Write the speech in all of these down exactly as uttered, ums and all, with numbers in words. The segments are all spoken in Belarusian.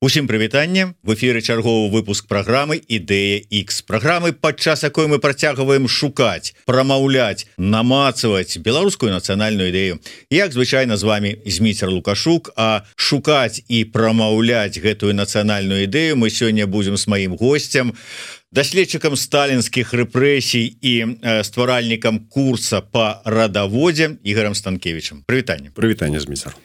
Усім прывітанне, в эфіры чарговы выпуск праграмы Ідэя Х. Праграмы, падчас якой мы працягваем шукаць, прамаўляць, намацаваць беларускую нацыянальную ідэю. Як звычайна з вами Зміцер Лукашук, а шукаць і прамаўляць гэтую нацыянальную ідэю мы сёння будзем з маім госцем, даследчыкам сталінскіх рэпрэсій і э, стваральнікам курса па радаводзе Ігорем Станкевічем. Прывітанне. Прывітанне, Зміцер.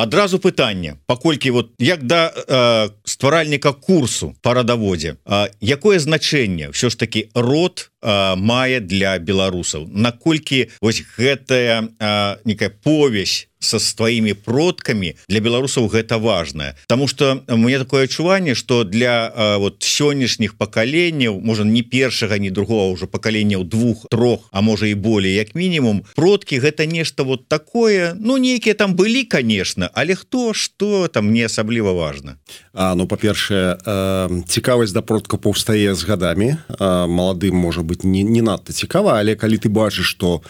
Адразу пытанне, паколькі вот як да э, стваральніка курсу па радаводзе, э, якое значэнне ўсё ж такі род э, мае для беларусаў? Наколькі вось гэтая э, некая повесь со сваімі продкамі для беларусаў гэта важная, потому что мне такое адчуванне, что для э, вот сённяшніх пакаленняў, можа не першага, ні другого ўжо пакаленняў двух, трох, а можа і болей, як мінімум, продкі гэта нешта вот такое, ну нейкія там былі, конечно, але хто што там не асабліва важна. А, ну па-першае, э, цікавасць да продка паўстае з гадамі. э, маладым можа быць не, не надта цікава, але калі ты бачыш, што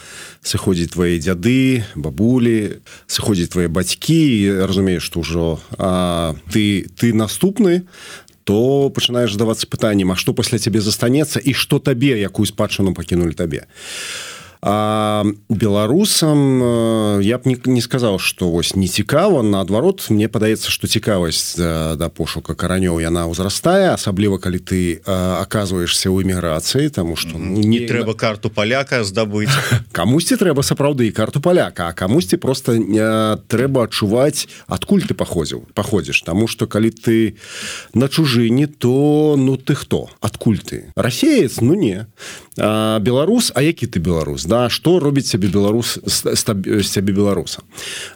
сыходзяць твае дзяды, бабулі, сыходзяць твае бацькі, разумееш, што ўжо а, ты, ты наступны, то пачынаеш задавацца пытаннем, а што пасля цябе застанецца і што табе, якую спадчыну пакінулі табе. А беларусам я б не, не сказаў, што вось не цікава, наадварот, мне падаецца, што цікавасць да, да пошука каранёў яна ўзрастае, асабліва калі ты а, аказваешся ў эміграцыі, таму што ну, не, не трэба карту паляка здабыць. Камусьці трэба сапраўды і карту паляка, а камусьці проста не, трэба адчуваць, адкуль ты паходзіў, паходзіш, таму што калі ты на чужыне, то ну ты хто? Адкуль ты? Расеец? Ну не. А, беларус, а які ты беларус? Да, што робіць сябе беларус з сябе беларуса.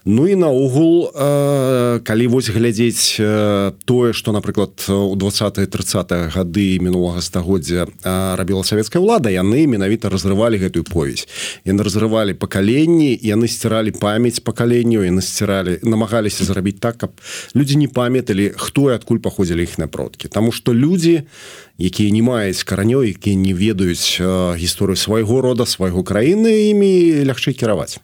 Ну і наогул, э, калі вось глядзець э, тое, што, напрыклад, у двадцатыя трыццатыя гады мінулага стагоддзя э, рабіла савецкая ўлада, яны менавіта разрывалі гэтую повесь. Яны разрывалі пакаленні, яны сціралі памяць пакаленняў, яны сціралі, намагаліся зрабіць так, каб людзі не памяталі, хто і адкуль паходзілі іхныя продкі. Таму што людзі, якія не маюць каранёў, якія не ведаюць э, гісторыю свайго рода, свайго краіны, імі лягчэй кіраваць.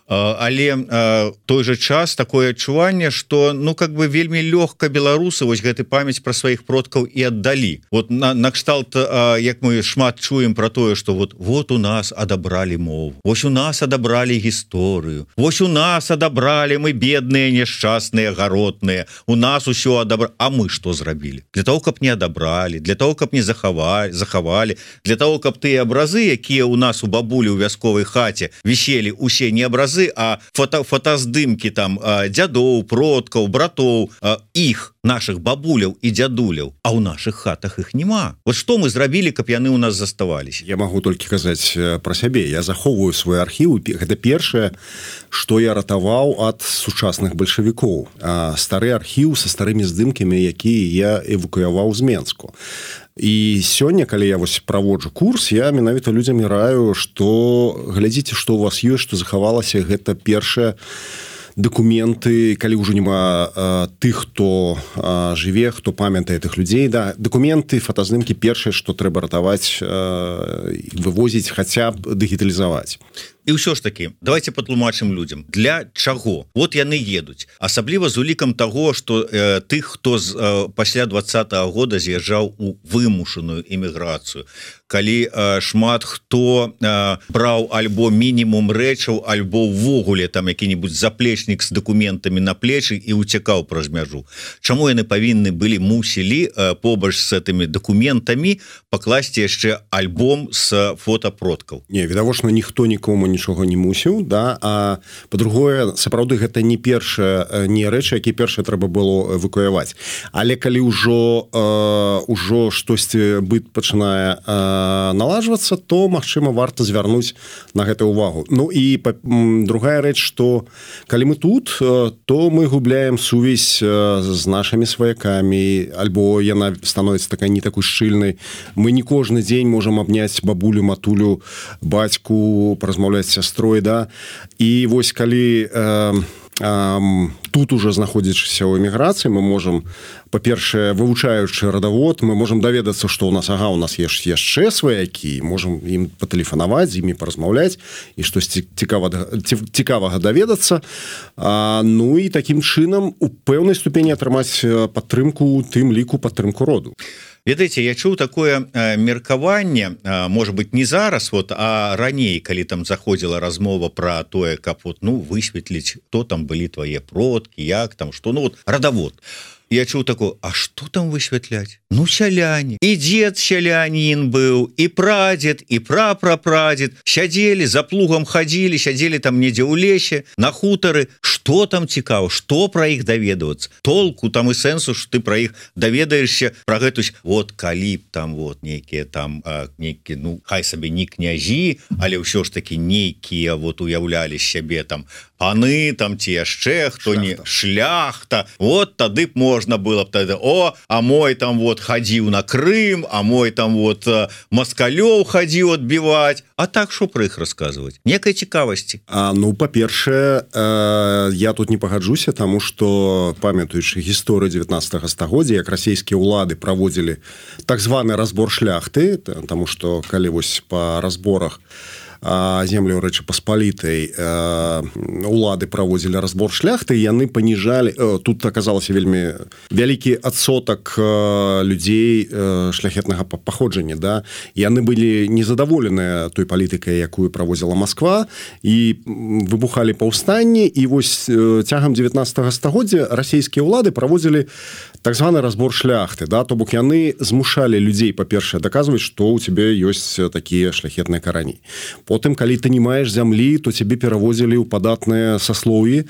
Але э, той же час такое адчуванне, что ну как бы вельмі лёгка беларусы вось гэты памяць пра сваіх продкаў і аддалі. Вот на, на кшталт, э, як мы шмат чуем про тое, что вот вот у нас адабралі мову, вось у нас адабралі гісторыю, вось у нас адабралі, мы бедныя, няшчасныя, гаротныя, у нас усё адабралі. А мы што зрабілі? Для того, каб не адабралі, для того, каб не захавалі, захавалі, для того, каб тыя абразы, якія у нас у бабулі ў вясковай хаце віселі, усе не абразы, а фото, фотаздымкі там дзядоў, продкаў, братоў, іх, наших бабуляў і дзядуляў, а ў наших хатах іх няма. Вот што мы зрабілі, каб яны ў нас заставаліся? Я магу толькі казаць пра сябе. Я захоўваю свой архіў. Гэта першае, што я ратаваў ад сучасных бальшавікоў. Стары архіў са старымі здымкамі, якія я эвакуяваў з Менску. І сёння, калі я вось праводжу курс, я менавіта людзям раю, што глядзіце, што у вас ёсць, што захавалася. Гэта першае дакументы, калі ўжо няма а, тых, хто а, жыве, хто памятае тых людзей, да, дакументы, фотаздымкі першае, што трэба ратаваць, а, вывозіць, хаця б дыгіталізаваць. І ўсё ж таки, давайте патлумачым людзям, для чаго? Вот яны едуць. Асабліва з улікам таго, што э, тых, хто з, э, пасля двадцатага года з'язджаў у вымушаную эміграцыю. Калі э, шмат хто э, браў альбо мінімум рэчаў, альбо ўвогуле там які-небудзь заплечнік з дакументамі на плечы і уцякаў праз мяжу. Чаму яны павінны былі, мусілі э, побач з гэтымі дакументамі пакласці яшчэ альбом з фотапродкаў? Не, відавочна, ніхто нікому нічога не мусіў, да, а па-другое, сапраўды гэта не першае, не рэчы, які першае трэба было эвакуяваць. Але калі ўжо э, ўжо штосьці быт пачынае э, налажвацца, то, магчыма, варта звярнуць на гэта ўвагу. Ну і па, м, другая рэч, што калі мы тут, э, то мы губляем сувязь э, з нашымі сваякамі, альбо яна становіцца такая не такой шчыльнай. Мы не кожны дзень можам абняць бабулю, матулю, бацьку, паразмаўляць з сястрой, да. І вось калі э, тут уже знаходзячыся ў эміграцыі мы можем, па-першае, вывучаючы радавод, мы можем даведацца, што ў нас ага у нас есть яшчэ сваякі, можем ім патэлефанаваць, з імі паразмаўляць і штосьці цікавага, цікавага даведацца. А, ну і такім чынам у пэўнай ступені атрымаць падтрымку, тым ліку падтрымку роду. Ведаеце, я чуў такое э, меркаванне, э, может быть, не зараз, вот, а раней, калі там заходзіла размова пра тое, каб вот, ну, высветліць, хто там былі твае продкі, як там, што, ну, вот, радавод. Я чуў такое, а што там высвятляць? Ну, сяляне. І дзед сялянін быў, і прадзед, і прапрапрадзед. Сядзелі, за плугам хадзілі, сядзелі там недзе ў лесе, на хутары. Што там цікава? Што пра іх даведвацца? Толку там і сэнсу, што ты пра іх даведаешся, пра гэтусь, вот, калі б там, вот, нейкія там, а, нейкія, ну, хай сабе не княжі, але ўсё ж такі нейкія, вот, уяўлялі сябе там паны, там, ці яшчэ, хто не шляхта. Вот, тады б можна было б тады, о, а мой там вот хадзіў на Крым, а мой там вот маскалёў хадзіў адбіваць. А так што пра іх расказваць? Некай цікавасці. А, ну, па-першае, э, я тут не пагаджуся, таму што, памятаючы гісторыю дзевятнаццатага стагоддзя, як расійскія ўлады праводзілі так званы разбор шляхты, таму што калі вось па разборах землю Рэчы Паспалітай улады праводзілі разбор шляхты, яны паніжалі, тут аказалася вельмі вялікі адсотак людзей шляхетнага паходжання, да? Яны былі незадаволеныя той палітыкай, якую праводзіла Масква, і выбухалі паўстанні, і вось цягам дзевятнаццатага стагоддзя расійскія ўлады праводзілі так званы разбор шляхты, да? То бок яны змушалі людзей, па-першае, даказваць, што ў цябе ёсць такія шляхетныя карані. Потым, калі ты не маеш зямлі, то цябе перавозілі ў падатныя саслоўі.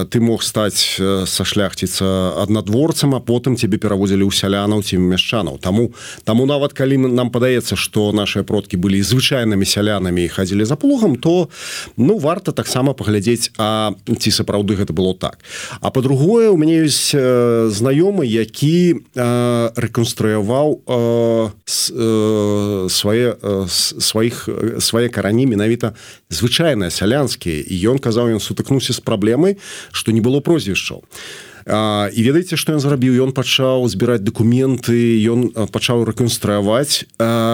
Ты мог стаць са шляхціца аднадворцам, а потым цябе перавозілі ў сялянаў ці мяшчанаў. Таму, таму нават калі нам падаецца, што нашыя продкі былі звычайнымі сялянамі і хадзілі за плугам, то ну, варта таксама паглядзець, а ці сапраўды гэта было так. А па-другое, у мяне ёсць знаёмы, які рэканструяваў свае сваіх свае карані менавіта звычайныя сялянскія, і ён казаў, ён сутыкнуўся з праблемай, што не было прозвішчаў. І ведаеце, што ён зрабіў? Ён пачаў збіраць дакументы, ён пачаў рэканструяваць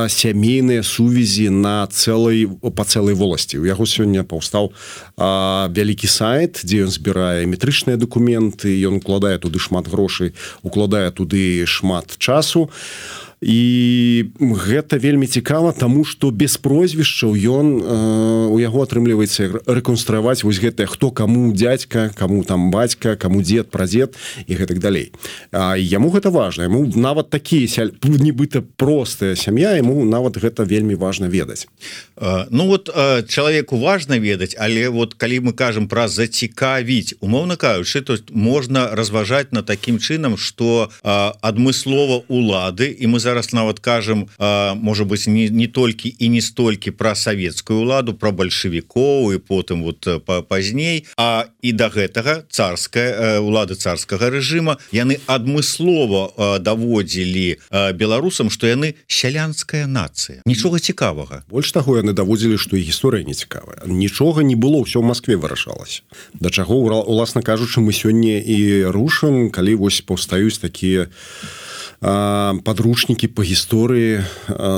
сямейныя сувязі на цэлай, па цэлай воласці. У яго сёння паўстаў вялікі сайт, дзе ён збірае метрычныя дакументы, ён укладае туды шмат грошай, укладае туды шмат часу. І гэта вельмі цікава, таму што без прозвішчаў ён э, у яго атрымліваецца рэканструяваць вось гэтае, хто каму дзядзька, каму там бацька, каму дзед, прадзед і гэтак далей. А яму гэта важна, яму нават такія сяль... нібыта простая сям'я, яму нават гэта вельмі важна ведаць. А, ну вот а, чалавеку важна ведаць, але вот калі мы кажам пра зацікавіць, умоўна кажучы, то можна разважаць на такім чынам, што а, адмыслова улады, і мы зараз нават кажам, можа быць, не, не толькі і не столькі пра савецкую ўладу, пра бальшавікоў і потым вот пазней, а і да гэтага царская ўлада царскага рэжыма, яны адмыслова даводзілі беларусам, што яны сялянская нацыя. Нічога цікавага. Больш таго, яны даводзілі, што і гісторыя не цікавая. Нічога не было, ўсё ў Маскве вырашалася. Да чаго, уласна кажучы, мы сёння і рушым, калі вось паўстаюць такія подручнікі по гісторыі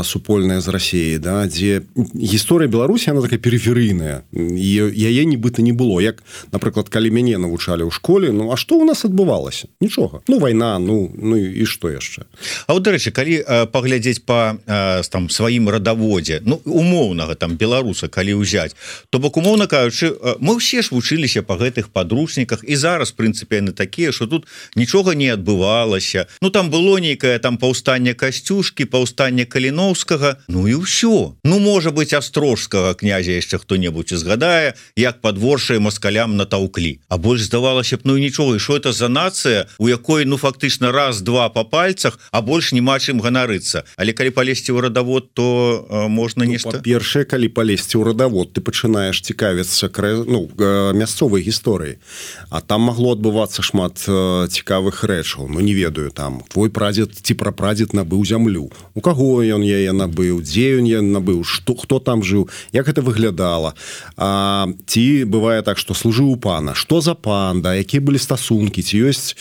супольная з Расіяй, да, дзе гісторыя Беларусі, она такая перыферыйная, і яе нібыта не было. Як, напрыклад, калі мяне навучалі ў школе, ну, а што ў нас адбывалася? Нічога. Ну, вайна, ну, ну і што яшчэ? А вот, дарэчы, калі паглядзець па там сваім радаводзе, ну, умоўнага там беларуса, калі ўзяць, то бок, умоўна кажучы, мы ўсе ж вучыліся па гэтых падручніках, і зараз, в прынцыпе, яны такія, што тут нічога не адбывалася. Ну, там было нейкае там паўстанне Касцюшкі, паўстанне Каліноўскага, ну і ўсё. Ну, можа быць, астрожскага князя яшчэ хто-небудзь згадае, як падворшае маскалям натаўклі. А больш здавалася б, ну і нічога, і што это за нацыя, у якой, ну, фактычна раз-два па пальцах, а больш няма чым ганарыцца. Але калі палезці ў радавод, то э, можна ну, нешта... Па-першае, калі палезці ў радавод, ты пачынаеш цікавіцца ну, мясцовай гісторыі. А там магло адбывацца шмат э, цікавых рэчаў. Ну, не ведаю, там, твой прадзед прадзед ці прапрадзед набыў зямлю, у каго ён яе набыў, дзе ён яе набыў, што хто там жыў, як гэта выглядала, а, ці бывае так, што служыў у пана, што за пан, да, якія былі стасункі, ці ёсць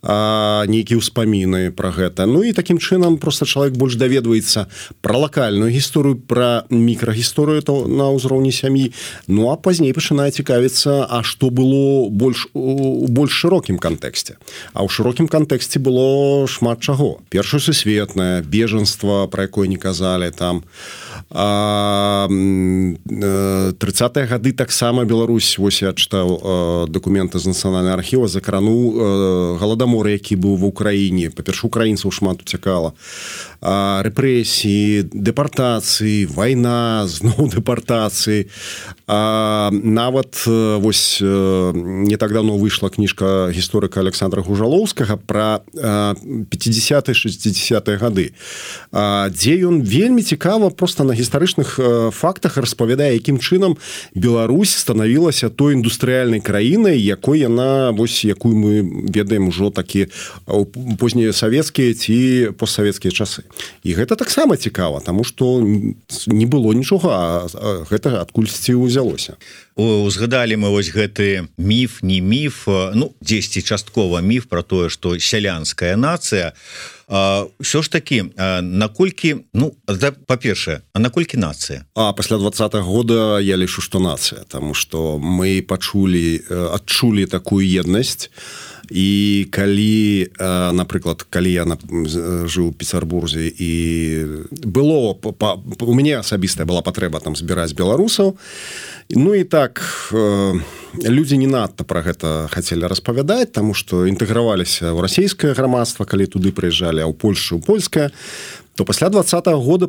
а, нейкія ўспаміны пра гэта. Ну і такім чынам просто чалавек больш даведваецца пра лакальную гісторыю, пра мікрагісторыю на ўзроўні сям'і, ну а пазней пачынае цікавіцца, а што было больш у больш шырокім кантэксце. А ў шырокім кантэксце было шмат чаго. Першае сусветнае, бежанства, пра якое не казалі, там трыццатыя гады таксама Беларусь, вось я чытаў дакументы з нацыянальнага архіва, закрануў галадамор, які быў ва ўкраіне. Па-перша, украінцаў шмат уцякала. Рэпрэсіі, дэпартацыі, вайна, зноў дэпартацыі. А нават вось не так давно выйшла кніжка гісторыка Александра Гужалоўскага пра пяцідзясятыя шэсцідзясятыя гады, дзе ён вельмі цікава проста на гістарычных фактах распавядае, якім чынам Беларусь станавілася той індустрыяльнай краінай, якой яна, вось якую мы ведаем ужо такі познія савецкія ці постсавецкія часы. І гэта таксама цікава, таму што не было нічога, а гэта адкульсьці ўзялося. Узгадалі мы вось гэты міф, не міф, ну, дзесьці часткова міф пра тое, што сялянская нацыя. Ўсё ж такі, наколькі, ну, па-першае, а наколькі нацыя? А пасля двадцатага года я лічу, што нацыя, таму што мы пачулі, адчулі такую еднасць. І калі, напрыклад, калі я жыў у Петербурзе і было, у мяне асабістая была патрэба там збіраць беларусаў, ну і так людзі не надта пра гэта хацелі распавядаць, таму што інтэграваліся ў расійскае грамадства, калі туды прыязджалі, а ў Польшу ў польскае, то пасля двадцатага года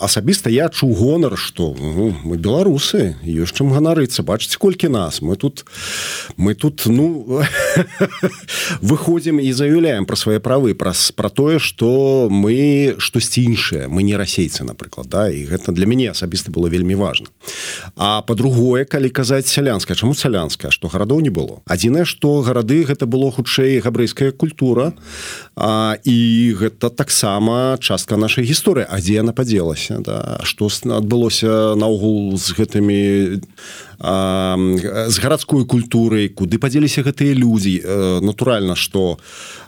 асабіста я чуў гонар, што ну, мы беларусы, ёсць чым ганарыцца, бачыце, колькі нас, мы тут мы тут, ну выходзім і заяўляем пра свае правы, пра, пра тое, што мы штосьці іншае, мы не расейцы, напрыклад, да? І гэта для мяне асабіста было вельмі важна. А па-другое, калі казаць сялянская, чаму сялянская, што гарадоў не было? Адзінае, што гарады гэта было хутчэй габрэйская культура, а, і гэта таксама частка нашай гісторыі, а дзе яна падзелася, да? Што адбылося наогул з гэтымі а, з гарадской культурай, куды падзеліся гэтыя людзі. Натуральна, што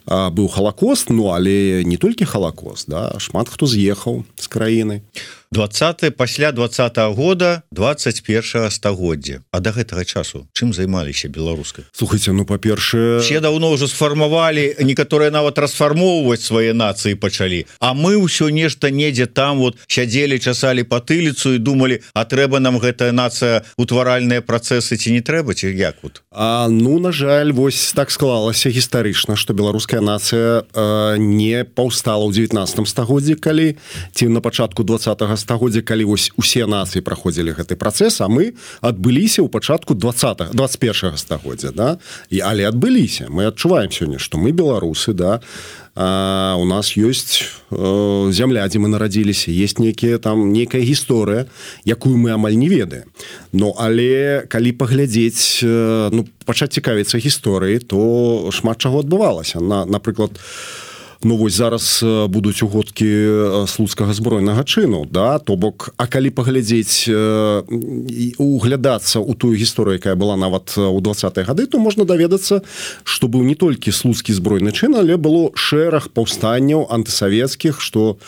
а, быў халакост, ну але не толькі халакост, да? Шмат хто з'ехаў з краіны. двадцатае пасля двадцатага года двадцать першага стагоддзя. А да гэтага часу чым займаліся беларускай? Слухайце, ну па-першае, все даўно ўжо сфармавалі, некаторыя нават расфармоўваць свае нацыі пачалі. А мы ўсё нешта недзе там вот сядзелі, часалі патыліцу і думалі, а трэба нам гэтая нацыя, утваральныя працэсы ці не трэба, ці як вот? А, ну, на жаль, вось так склалася гістарычна, што беларуская нацыя э, не паўстала ў дзевятнаццатым стагоддзі, калі ці на пачатку двадцатага стагоддзя, калі вось усе нацыі праходзілі гэты працэс, а мы адбыліся ў пачатку двадцатага двадцать першага стагоддзя, да? І, але адбыліся. Мы адчуваем сёння, што мы беларусы, да, а, у нас ёсць э, зямля, дзе мы нарадзіліся, есть нейкія там нейкая гісторыя, якую мы амаль не ведаем. Ну, але калі паглядзець, э, ну, пачаць цікавіцца гісторыі, то шмат чаго адбывалася. На, напрыклад, ну вось зараз будуць угодкі слуцкага збройнага чыну, да, то бок, а калі паглядзець, углядацца ў тую гісторыю, якая была нават у двадцатыя гады, то можна даведацца, што быў не толькі слуцкі збройны чын, але было шэраг паўстанняў антысавецкіх, што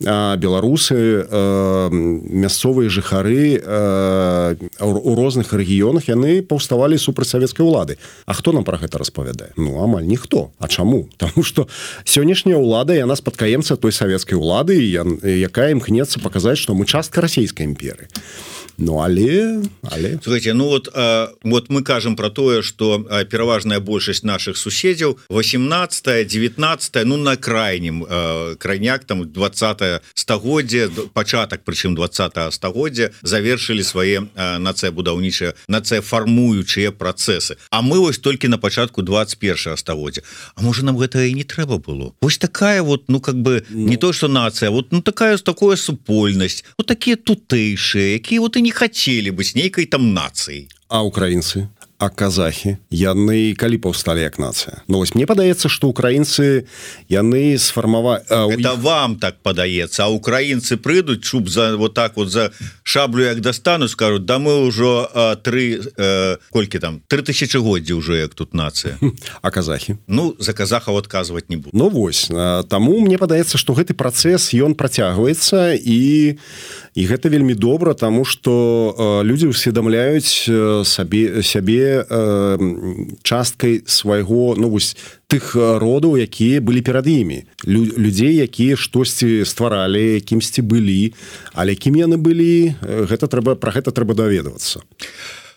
а, беларусы, а, мясцовыя жыхары а, у розных рэгіёнах, яны паўставалі супраць савецкай улады. А хто нам пра гэта распавядае? Ну, амаль ніхто. А чаму? Таму што сёння ўлада, яна спадкаемца той савецкай улады, якая імкнецца паказаць, што мы частка расійскай імперыі. Ну, але... але... Слухайте, ну вот, а, вот мы кажам про тое, что а, пераважная большасць наших суседзяў восемнадцатае, девятнадцатае, ну на крайнім а, крайняк там двадцатае стагоддзя, пачатак прычым двадцатага стагоддзя завершылі свае нацыябудаўнічыя, нацыяфармуючыя працэсы. А мы вось толькі на пачатку двадцать першага стагоддзя. А можа нам гэта і не трэба было? Вось такая вот, ну как бы ну... не то, что нацыя, вот ну такая такое супольнасць, вот такія тутэйшыя, якія вот і не хотели быць нейкай там нацыяй. А украінцы? а казахі яны калі паўсталі як нацыя. Ну вось мне падаецца, што украінцы яны сфармавалі это вам так падаецца, а украінцы прыйдуць чуб за вот так вот за шаблю як достану, скажут да мы ўжо тры э, колькі там тры тысячагоддзі ўжо як тут нацыя. А казахі ну за казахаў адказваць не буду. Ну вось таму мне падаецца, што гэты працэс ён працягваецца і і гэта вельмі добра, таму што людзі усведамляюць сабе сябе часткай свайго ну вось тых родаў, якія былі перад імі, Лю, людзей, якія штосьці стваралі, кімсьці былі, але кім яны былі, гэта трэба пра гэта трэба даведвацца.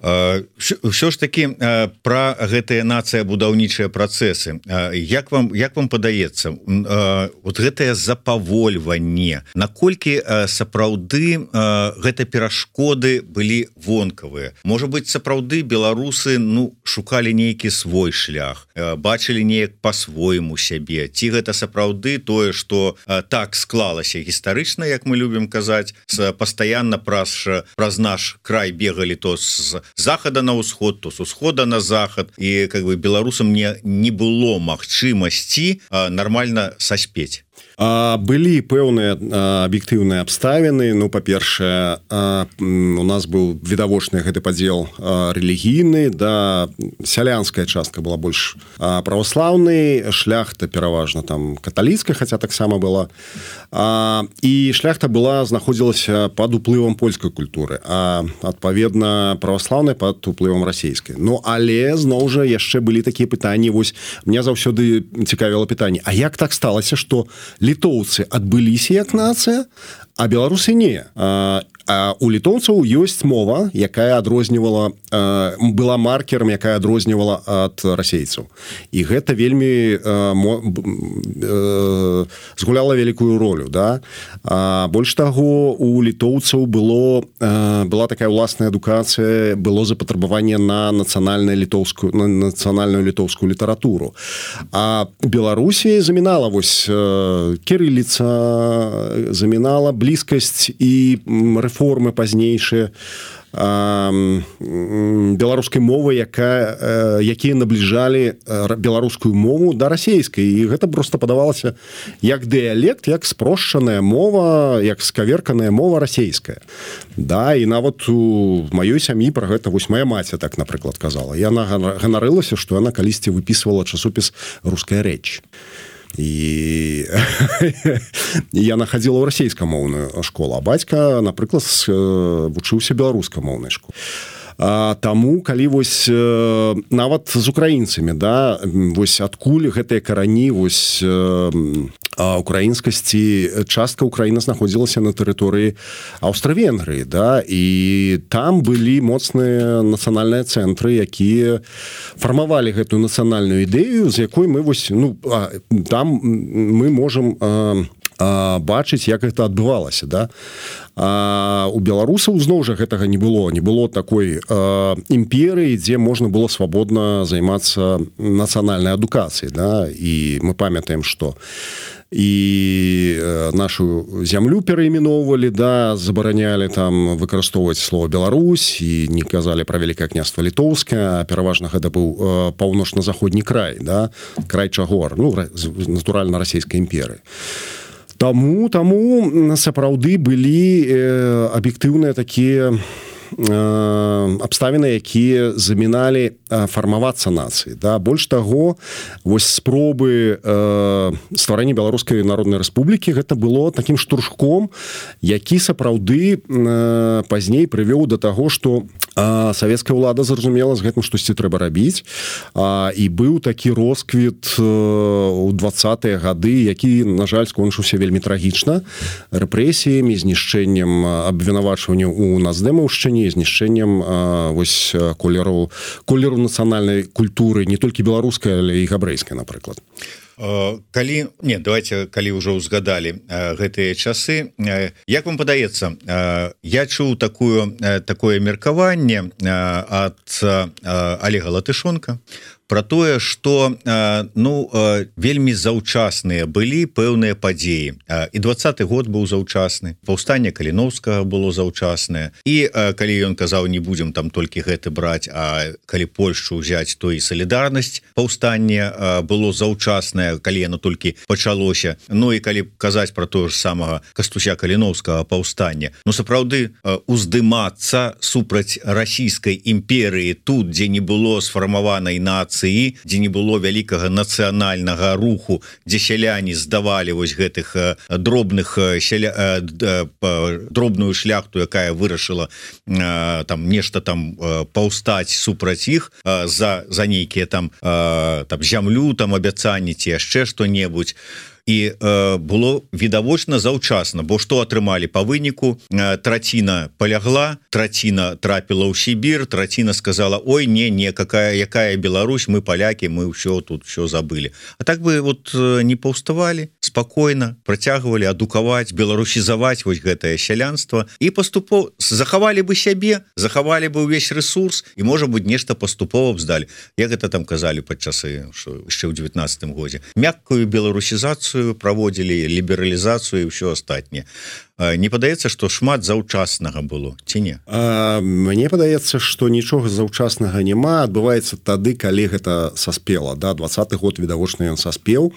Ўсё ж такі пра гэтыя нацыя будаўнічыя працэсы, як вам як вам падаецца вот гэтае запавольванне, наколькі сапраўды гэта перашкоды былі вонкавыя? Можа быць, сапраўды беларусы ну шукалі нейкі свой шлях, бачылі неяк па-свойму сябе, ці гэта сапраўды тое, што так склалася гістарычна, як мы любім казаць, пастаянна праз праз наш край бегалі то з захада на ўсход, то с усхода на захад, і как бы беларусам не не было магчымасці нормально саспець. А, былі пэўныя аб'ектыўныя абставіны. Ну, па-першае, у нас быў відавочны гэты падзел рэлігійны, да, сялянская частка была больш праваслаўнай, шляхта пераважна там каталіцкая, хаця таксама была. А, і шляхта была знаходзілася пад уплывам польскай культуры, а адпаведна праваслаўнай пад уплывам расійскай. Ну, але зноў жа яшчэ былі такія пытанні. Вось мне заўсёды цікавіла пытанне: а як так сталася, што літоўцы адбыліся як нацыя, а беларусы не? А, а у літоўцаў ёсць мова, якая адрознівала, а, была маркером, якая адрознівала ад расейцаў. І гэта вельмі а, мо, а, згуляла вялікую ролю. Да? А, больш таго, у літоўцаў было, а, была такая ўласная адукацыя, было запатрабаванне на нацыянальную літоўскую, на нацыянальную літоўскую літаратуру. А Беларусі замінала вось кірыліца, замінала блізкасць і рэформы пазнейшыя беларускай мовы, якая, якія набліжалі беларускую мову да расейскай. І гэта проста падавалася як дыялект, як спрошчаная мова, як скаверканая мова расейская. Да, і нават у маёй сям'і пра гэта вось моя маці так, напрыклад, казала. Яна ганарылася, што яна калісьці выпісвала часопіс «Руская рэч». І я находила ў расейскамоўную школу, а бацька, напрыклад, вучыўся беларускамоўнай школе. А, таму, калі вось нават з украінцамі, да, вось адкуль гэтыя карані вось украінскасці, частка Украіны знаходзілася на тэрыторыі Аўстра-Венгрыі, да, і там былі моцныя нацыянальныя цэнтры, якія фармавалі гэтую нацыянальную ідэю, з якой мы вось, ну, там мы можам бачыць, як гэта адбывалася, да. А у беларусаў зноў жа гэтага не было, не было такой а, імперыі, дзе можна было свабодна займацца нацыянальнай адукацыяй, да, і мы памятаем, што і нашу зямлю перайменоўвалі, да, забаранялі там выкарыстоўваць слово Беларусь і не казалі пра Вялікае княства Літоўскае, а пераважна гэта быў паўночна-заходні край, да, край Чагор, ну, натуральна расійскай імперыі. Таму, таму сапраўды былі э, аб'ектыўныя такія э, абставіны, якія заміналі э, фармавацца нацыі. Да? Больш таго, вось спробы э, стварэння Беларускай народнай рэспублікі гэта было такім штуршком, які сапраўды э, пазней прывёў да таго, што э, савецкая ўлада зразумела, з гэтым штосьці трэба рабіць. А, і быў такі росквіт э, у двадцатыя гады, які, на жаль, скончыўся вельмі трагічна рэпрэсіямі, знішчэннем абвінавачвання ў нацдэмаўшчыне, знішчэннем э, вось колеру, колеру нацыянальнай культуры, не толькі беларускай, але і габрэйскай, напрыклад. Калі, не, давайте, калі ўжо ўзгадалі гэтыя часы, як вам падаецца, я чуў такую, такое меркаванне ад Олега Латышонка про тое что ну вельмі заўчасныя былі пэўныя падзеі і двадцаты год быў заўчасны, паўстанне Каліноўскага было заўчаснае і калі ён казаў не будзем там толькі гэты браць, а калі Польшчу ўзяць то і салідарнасць паўстанне было заўчаснае, калі яно толькі пачалося. Ну і калі казаць про тое ж самага Кастуся Каліноўскага паўстання, ну сапраўды уздымацца супраць расійскай імперыі тут, дзе не было сфармаванай нацыі, дзе не было вялікага нацыянальнага руху, дзе сяляне здавалі вось гэтых дробных сяля... дробную шляхту, якая вырашыла там нешта там паўстаць супраць іх за за нейкія там там зямлю, там абяцанні ці яшчэ што-небудзь. І э, было відавочна заўчасна, бо што атрымалі па выніку, э, траціна палягла, траціна трапіла ў Сібір, траціна сказала ой не не какая якая Беларусь, мы палякі, мы ўсё тут все забылі. А так бы вот э, не паўставалі спакойна, працягвалі адукаваць, беларусізаваць вось гэтае сялянства і паступова захавалі бы сябе, захавалі бы ўвесь ресурс і можа быть нешта паступова б здалі. Як гэта там казалі падчасы яшчэ ў девятнадцатым годзе, мяккую беларусізацыю праводзілі, лібералізацыю і ўсё астатняе. Не падаецца, што шмат заўчаснага было ці не? А, мне падаецца, што нічога заўчаснага няма, адбываецца тады, калі гэта саспела, да, двадцаты год відавочна ён саспеў.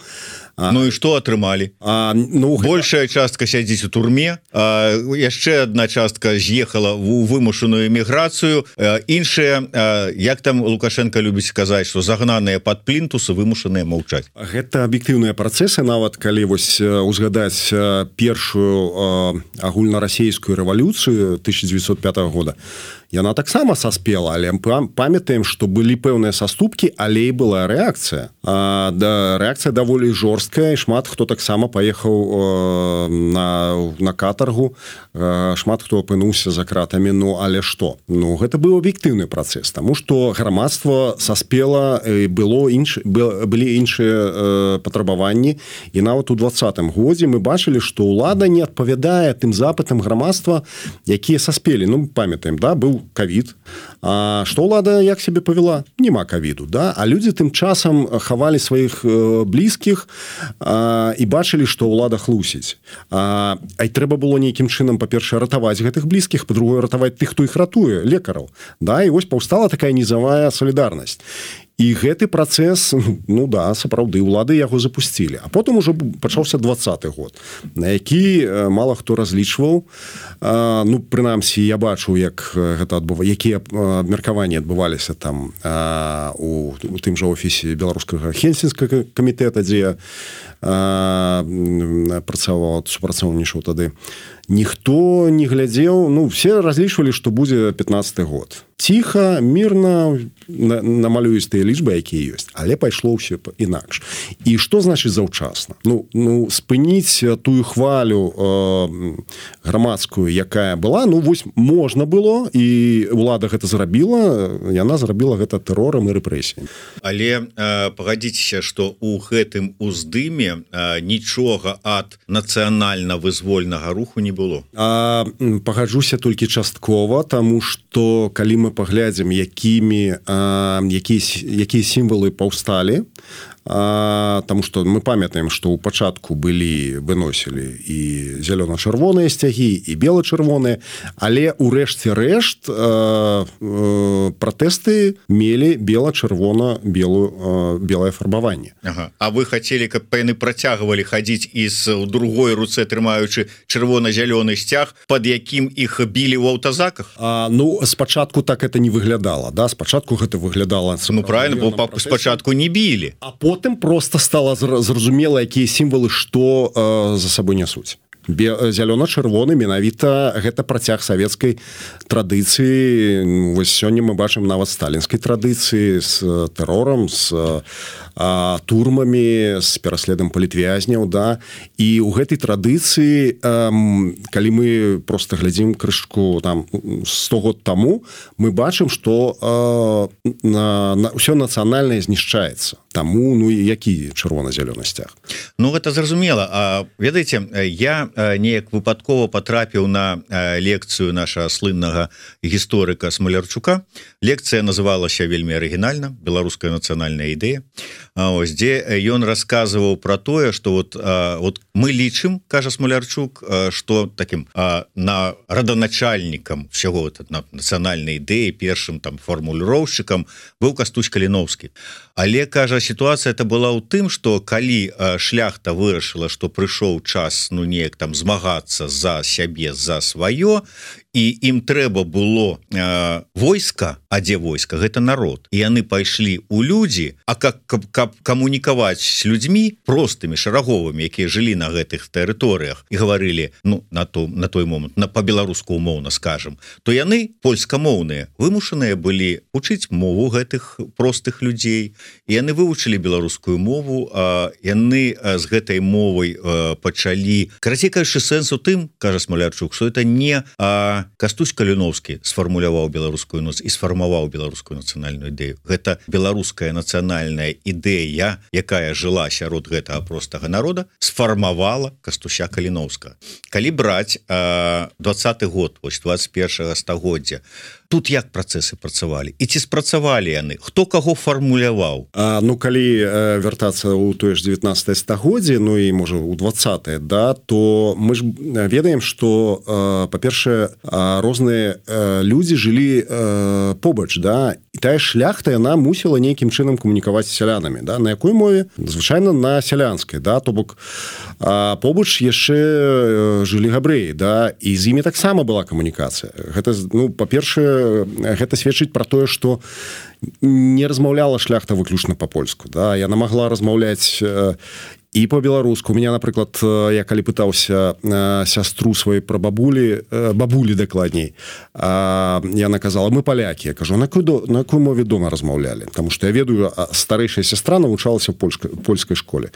А, ну і што атрымалі? А, ну, большая гэта... частка сядзіць у турме, а, яшчэ адна частка з'ехала ў вымушаную эміграцыю, іншыя, як там Лукашенко любіць сказаць, што загнаныя пад плінтусы, вымушаныя маўчаць. Гэта аб'ектыўныя працэсы, нават калі вось узгадаць першую агульнарасійскую рэвалюцыю тысяча девятьсот пятого года, яна таксама саспела, але памятаем, што былі пэўныя саступкі, але і была рэакцыя. А, да, рэакцыя даволі жорсткая, і шмат хто таксама паехаў э, на, на катаргу, э, шмат хто апынуўся за кратамі, ну але што? Ну гэта быў аб'ектыўны працэс, таму што грамадства саспела, і было інш, былі іншыя э, патрабаванні, і нават у двадцатым годзе мы бачылі, што ўлада не адпавядае тым запытам грамадства, якія саспелі. Ну памятаем, да, быў ковід. А што ўлада як сябе павяла? Нема ковіду, да? А людзі тым часам хавалі сваіх э, блізкіх а, і бачылі, што ўлада хлусіць. А, а і трэба было нейкім чынам, па-першае, ратаваць гэтых блізкіх, па-другое, ратаваць тых, хто іх ратуе, лекараў. Да? І вось паўстала такая нізавая салідарнасць. І гэты працэс, ну да, сапраўды, улады яго запусцілі. А потым ужо пачаўся двадцаты год, на які мала хто разлічваў. А, ну, прынамсі, я бачу, як гэта адбыва, якія абмеркаванні адбываліся там а, у, у тым жа офісе беларускага Хельсінскага камітэта, дзе а, працаваў, супрацоўнічаў тады. Ніхто не глядзеў, ну, все разлічвалі, што будзе пятнадцаты год. Ціха, мірна, намалююць тыя лічбы, якія ёсць, але пайшло ўсё інакш. І што значыць заўчасна? Ну, ну спыніць тую хвалю э, грамадскую, якая была, ну, вось можна было, і ўлада гэта зрабіла, яна зрабіла гэта тэрорам і рэпрэсіямі. Але э, пагадзіцеся, што ў гэтым уздыме э, нічога ад нацыянальна-вызвольнага руху не было. А, пагаджуся толькі часткова, таму што калі мы паглядзім, якімі, а, якія, якія сімвалы паўсталі, а, таму што мы памятаем, што ў пачатку былі, выносілі і зялёна-чырвоныя сцягі, і бела-чырвоныя, але ў рэшце рэшт а, а, пратэсты мелі бела-чырвона-белую белае фарбаванне. Ага. А вы хацелі, каб яны працягвалі хадзіць і з у другой руцэ трымаючы чырвона-зялёны сцяг, пад якім іх білі ў аўтазаках? А, ну, спачатку так это не выглядала, да? Спачатку гэта выглядала... Ну, правильно, бо спачатку не білі. А потым просто стала зразумела, якія сімвалы што э, за сабой нясуць. Зялёна-чырвоны менавіта гэта працяг савецкай традыцыі. Вось сёння мы бачым нават сталінскай традыцыі з тэрорам, з а, турмамі з пераследам палітвязняў, да, і ў гэтай традыцыі а, калі мы просто глядзім крышку там сто год таму, мы бачым, што на, на, ўсё нацыянальнае знішчаецца. Таму, ну, які чырвона-зялёны сцяг? Ну, гэта зразумела. А, ведаеце, я неяк выпадкова патрапіў на лекцыю нашага слыннага гісторыка Смалярчука. Лекцыя называлася вельмі арыгінальна «Беларуская нацыянальная ідэя». А, ось, дзе ён расказваў пра тое, што вот, а, вот мы лічым, кажа Смалярчук, што такім а, на раданачальнікам всяго вот, на нацыянальнай ідэі, першым там фармуліроўшчыкам быў Кастусь Каліноўскі. Але, кажа, сітуацыя это была ў тым, што калі шляхта вырашыла, што прыйшоў час, ну, неяк там змагацца за сябе, за сваё, і ім трэба было э, войска, а дзе войска? Гэта народ. І яны пайшлі ў людзі, а как, каб, каб камунікаваць з людзьмі простымі, шараговымі, якія жылі на гэтых тэрыторыях і гаварылі, ну, на, то, на той момант, на па-беларуску умоўна скажам, то яны, польскамоўныя, вымушаныя былі вучыць мову гэтых простых людзей, і яны вывучылі беларускую мову, а яны з гэтай мовай а, пачалі. Карацей кажучы, сэнс у тым, кажа Смалярчук, што это не а, Кастусь Каліноўскі сфармуляваў беларускую ноц і сфармаваў беларускую нацыянальную ідэю. Гэта беларуская нацыянальная ідэя, якая жыла сярод гэтага простага народа, сфармавала Кастуся Каліноўскага. Калі браць а, двадцаты год, вось двадцать першага стагоддзя, тут як працэсы працавалі? І ці спрацавалі яны? Хто каго фармуляваў? А, ну, калі э, вяртацца ў тое ж дзевятнаццатае стагоддзе, ну і, можа, у двадцатае, да, то мы ж ведаем, што, э, па-першае, э, розныя э, людзі жылі э, побач, да, і тая шляхта, яна мусіла нейкім чынам камунікаваць з сялянамі, да, на якой мове? Звычайна на сялянскай, да, то бок э, побач яшчэ жылі габрэі, да, і з імі таксама была камунікацыя. Гэта, ну, па-першае, гэта сведчыць пра тое, што не размаўляла шляхта выключна па-польску, да, яна магла размаўляць і по-беларуску. У меня, напрыклад, я калі пытаўся сястру сваёй пра бабулі, бабулі дакладней, яна казала, мы палякі. Я кажу, на якой, на якой мове дома размаўлялі? Таму што я ведаю, старэйшая сястра навучалася ў польскай, польскай школе.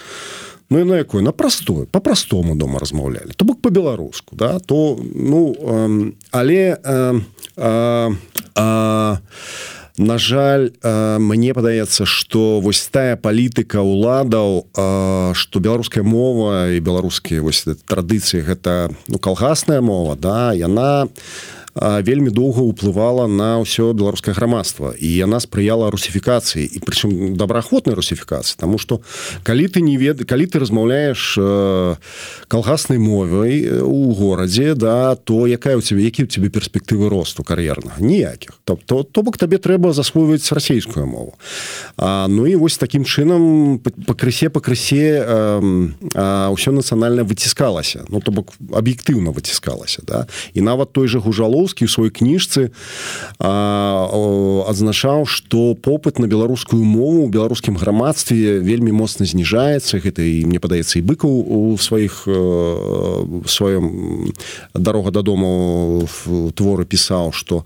Ну і на якой? На простой, по-простому дома размаўлялі. То бок по-беларуску, да, то, ну, э, але э, э, э, на жаль, э, мне падаецца, што вось тая палітыка ўладаў, э, што беларуская мова і беларускія вось традыцыі, гэта, ну, калгасная мова, да, яна вельмі доўга ўплывала на ўсё беларускае грамадства, і яна спрыяла русіфікацыі, і прычым добраахвотнай русіфікацыі, таму што калі ты не вед... калі ты размаўляеш э, калгаснай мовай у горадзе, да, то якая ў цябе, які ў цябе перспектывы росту кар'ернага? Ніякіх. Тобто, то бок табе трэба засвойваць расейскую мову. А, ну і вось такім чынам пакрысе пакрысе э, э, ўсё нацыянальна выціскалася, ну то бок аб'ектыўна выціскалася, да, і нават той жа Гужалоў у сваёй кніжцы адзначаў, што попыт на беларускую мову ў беларускім грамадстве вельмі моцна зніжаецца. Гэта і, мне падаецца, і Быкаў у сваіх у сваём «Дарога дадому» в творы пісаў, што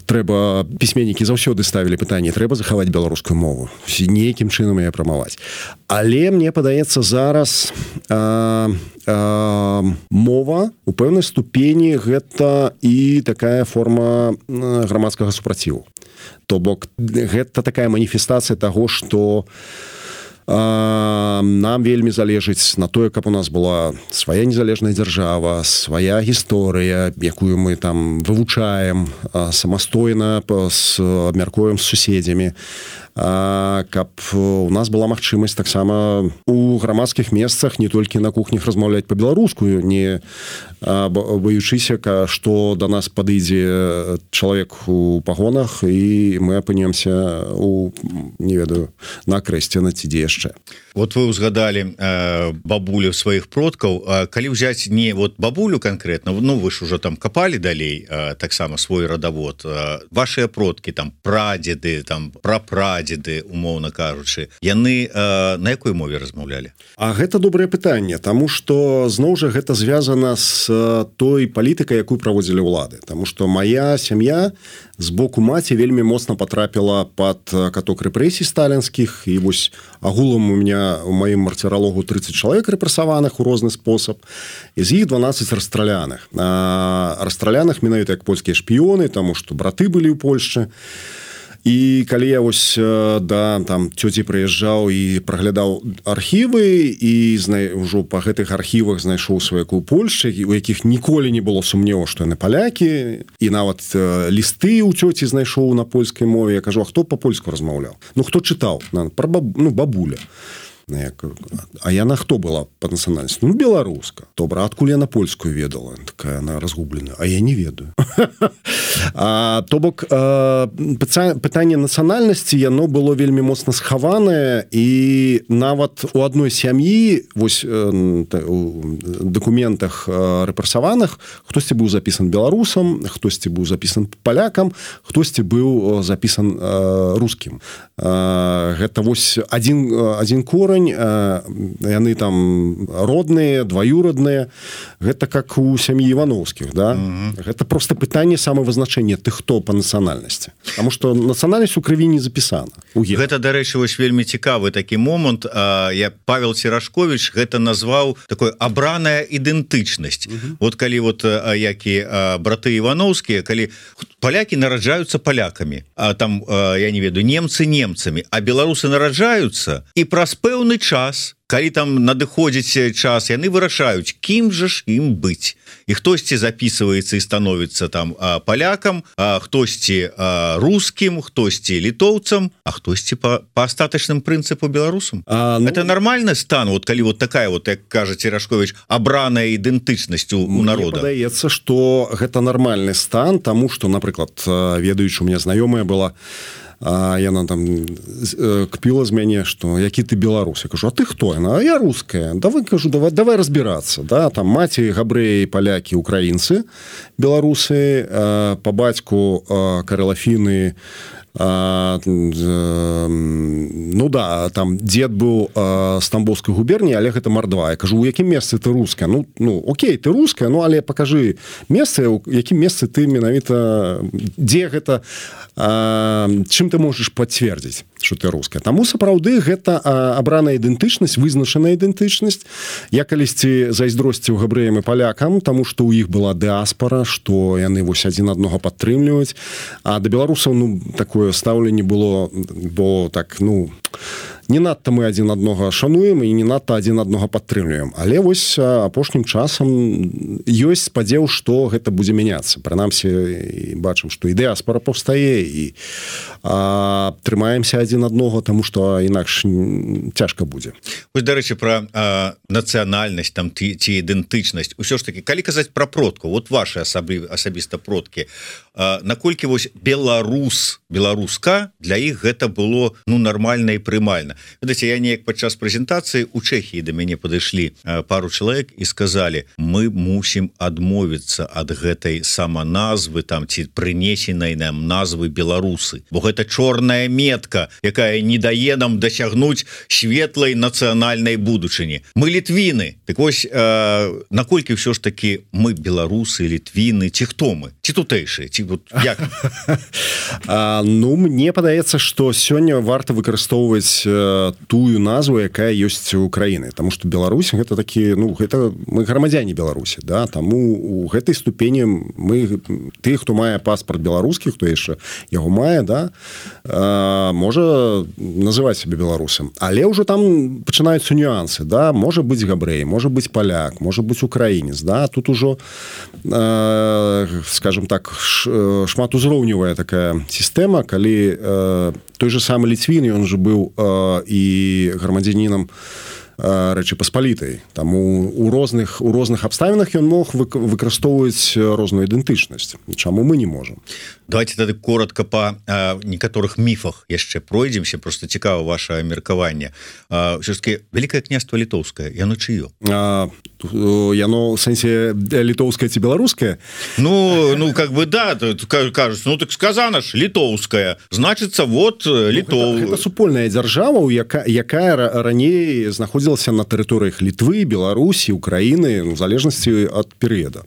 трэба, пісьменнікі заўсёды ставілі пытанне, трэба захаваць беларускую мову, нейкім чынам яе прамаваць. Але мне падаецца, зараз а, а, мова у пэўнай ступені гэта і такая форма грамадскага супраціву. То бок гэта такая маніфестацыя таго, што нам вельмі залежыць на тое, каб у нас была свая незалежная дзяржава, свая гісторыя, якую мы там вывучаем самастойна, абмяркуем з суседзямі, каб у нас была магчымасць таксама у грамадскіх месцах не толькі на кухнях размаўляць па-беларуску, не баючыся, што да нас падыдзе чалавек у пагонах і мы апынемся у, не ведаю, на крэсце ці дзе яшчэ. Вот вы узгадалі э, бабулю сваіх продкаў. А калі ўзяць не вот бабулю конкретно, ну вы ж уже там капалі далей э, таксама свой радавод, э, вашыя продкі, там прадзеды, там прапрадзеды, прадзеды, умоўна кажучы, яны э, на якой мове размаўлялі? А гэта добрае пытанне, таму што зноў жа гэта звязана з той палітыкай, якую праводзілі ўлады. Таму што моя сям'я з боку маці вельмі моцна потрапіла под каток рэпрэсій сталінскіх, і вось агулам у меня у маім марціралогу тридцать чалавек рэпрэсаваных у розны спосаб, і з іх дванаццаць расстраляных. А, расстраляных менавіта як польскія шпіёны, таму што браты былі ў Польшчы. І калі я вось да там цёці прыязджаў і праглядаў архівы і знай, ўжо па гэтых архівах знайшоў сваяку ў Польшчы, у якіх ніколі не было сумневу, што яны палякі, і нават э, лісты ў цёці знайшоў на польскай мове. Я кажу, а хто па-польску размаўляў? Ну, хто чытаў? Пра баб... ну, бабуля. А яна хто была па нацыянальнасці? Ну, беларуска. Добра, адкуль яна польскую ведала? Такая она разгублена. А я не ведаю. А, то бок, а, пытанне нацыянальнасці, яно было вельмі моцна схаванае, і нават у адной сям'і, вось у дакументах рэпрэсаваных, хтосьці быў запісан беларусам, хтосьці быў запісан палякам, хтосьці быў запісан рускім. А, гэта вось адзін, адзін корань, яны там родныя, дваюродныя, гэта как у сям'і Івановскіх, да? Mm-hmm. Гэта просто пытанне самавызначэння ты хто па нацыянальнасці, потому что нацыянальнасць у крыві не запісана. Гэта, дарэчы, вось вельмі цікавы такі момант. Я Павел Серашкович гэта назваў такой абраная ідэнтычнасць. Mm-hmm. Вот калі вот які браты Івановскія, калі палякі нараджаюцца палякамі, а там я не ведаю, немцы немцамі, а беларусы нараджаюцца, і праз пэўны час, калі там надыходзіць час, яны вырашаюць, кім жа ж ім быць. І хтосьці запісваецца і становіцца там а, палякам, а хтосьці а, рускім, хтосьці літоўцам, а хтосьці па, па астатачным прынцыпу беларусам. А, ну... Это нармальны стан, вот калі вот такая вот, як кажа Серашкович, абраная ідэнтычнасць у, у народа. Мне падаецца, што гэта нармальны стан, таму што, напрыклад, ведаючы, у меня знаёмая была, а яна там кпіла з мяне, што які ты беларус. Я кажу, а ты хто? Яна, а я руская. Давай, кажу, давай, давай разбірацца. Да? Там маці, габрэі, палякі, украінцы, беларусы, па бацьку карэлафіны, А, ну да, там дзед быў з Тамбовскай губерніі, але гэта мардва. Я кажу, у якім месцы ты руская? Ну, ну окей, ты руская, ну але пакажы месцы, у якім месцы ты менавіта, дзе гэта, а, чым ты можаш пацвердзіць, што ты руская. Таму сапраўды гэта абраная ідэнтычнасць, вызначаная ідэнтычнасць. Я калісьці зайздросціў габрэям і палякам, таму што ў іх была дыаспара, што яны вось адзін аднаго падтрымліваюць. А да беларусаў, ну, такое стаўленне было, бо так, ну, не надта мы адзін аднога шануем і не надта адзін аднога падтрымліваем. Але вось апошнім часам ёсць спадзеў, што гэта будзе мяняцца. Прынамсі, бачым, што і дыаспара паўстае, і а, трымаемся адзін аднаго, таму што інакш цяжка будзе. Вось, дарэчы, пра а, нацыянальнасць там, ці, ці ідэнтычнасць. Усё ж такі, калі казаць пра продкаў, вот ваши асаблі, асабіста продкі, а, наколькі вось беларус, беларуска, для іх гэта было, ну, нармальна і прымальна. Ведаце, я неяк падчас прэзентацыі у Чэхіі да мяне падышлі пару чалавек і сказалі, мы мусім адмовіцца ад гэтай саманазвы там ці прынесенай нам назвы беларусы, бо гэта чорная метка, якая не дае нам дасягнуць светлай нацыянальнай будучыні. Мы літвіны. Так вось, э, наколькі ўсё ж такі мы беларусы, літвіны, ці хто мы? Ці тутэйшыя? Ці вот як? А, ну, мне падаецца, што сёння варта выкарыстоўваць тую назву, якая ёсць у краіны, таму што Беларусь гэта такі, ну, гэта мы грамадзяне Беларусі, да, таму у гэтай ступені мы ты, хто мае паспарт беларускі, хто яшчэ яго мае, да, а, можа называць сябе беларусам, але ўжо там пачынаюцца нюансы, да, можа быць габрэй, можа быць паляк, можа быць украінец, да, тут ужо а, скажем так, шматузроўневая такая сістэма, калі а, той же самы ліцвін, ён же быў а, і грамадзянінам Рэчы Паспалітай. Таму у розных у розных абставінах ён мог выкарыстоўваць розную ідэнтычнасць. Чаму мы не можам? Давайте тады коротко па а, некаторых міфах яшчэ пройдземся, просто цікава ваше меркаванне. Все-таки Великае княства літоўскае, яно чыё? А, яно в сэнсе літоўскае ці беларускае? Ну, ну как бы да, кажуць, ну так сказано ж літоўская, значыцца вот Літоў. Ну, гэта, гэта супольная дзяржава, якая, якая раней знаходзілася на тэрыторыях Літвы, Беларусі, Украіны, в залежнасці ад перыяда.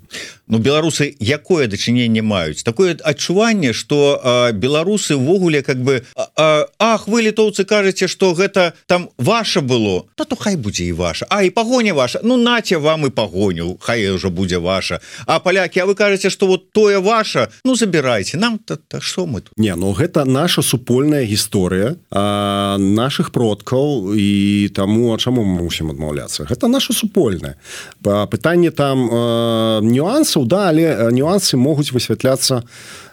Ну, беларусы якое дачыненне маюць? Такое адчуванне, што а, беларусы ввогуле как бы а, ах, вы літоўцы кажаце, што гэта там ваша было, та то хай будзе і ваша. А і пагоня ваша, ну наце вам і пагоню, хай ўжо будзе ваша. А палякі, а вы кажаце, што вот тое ваша, ну забірайце, нам та, та што мы тут? Не, ну гэта наша супольная гісторыя а, наших продкаў, і таму а чаму мы мусім адмаўляцца? Гэта наша супольная. Пытанне там а, нюансаў, да, але нюансы могуць высвятляцца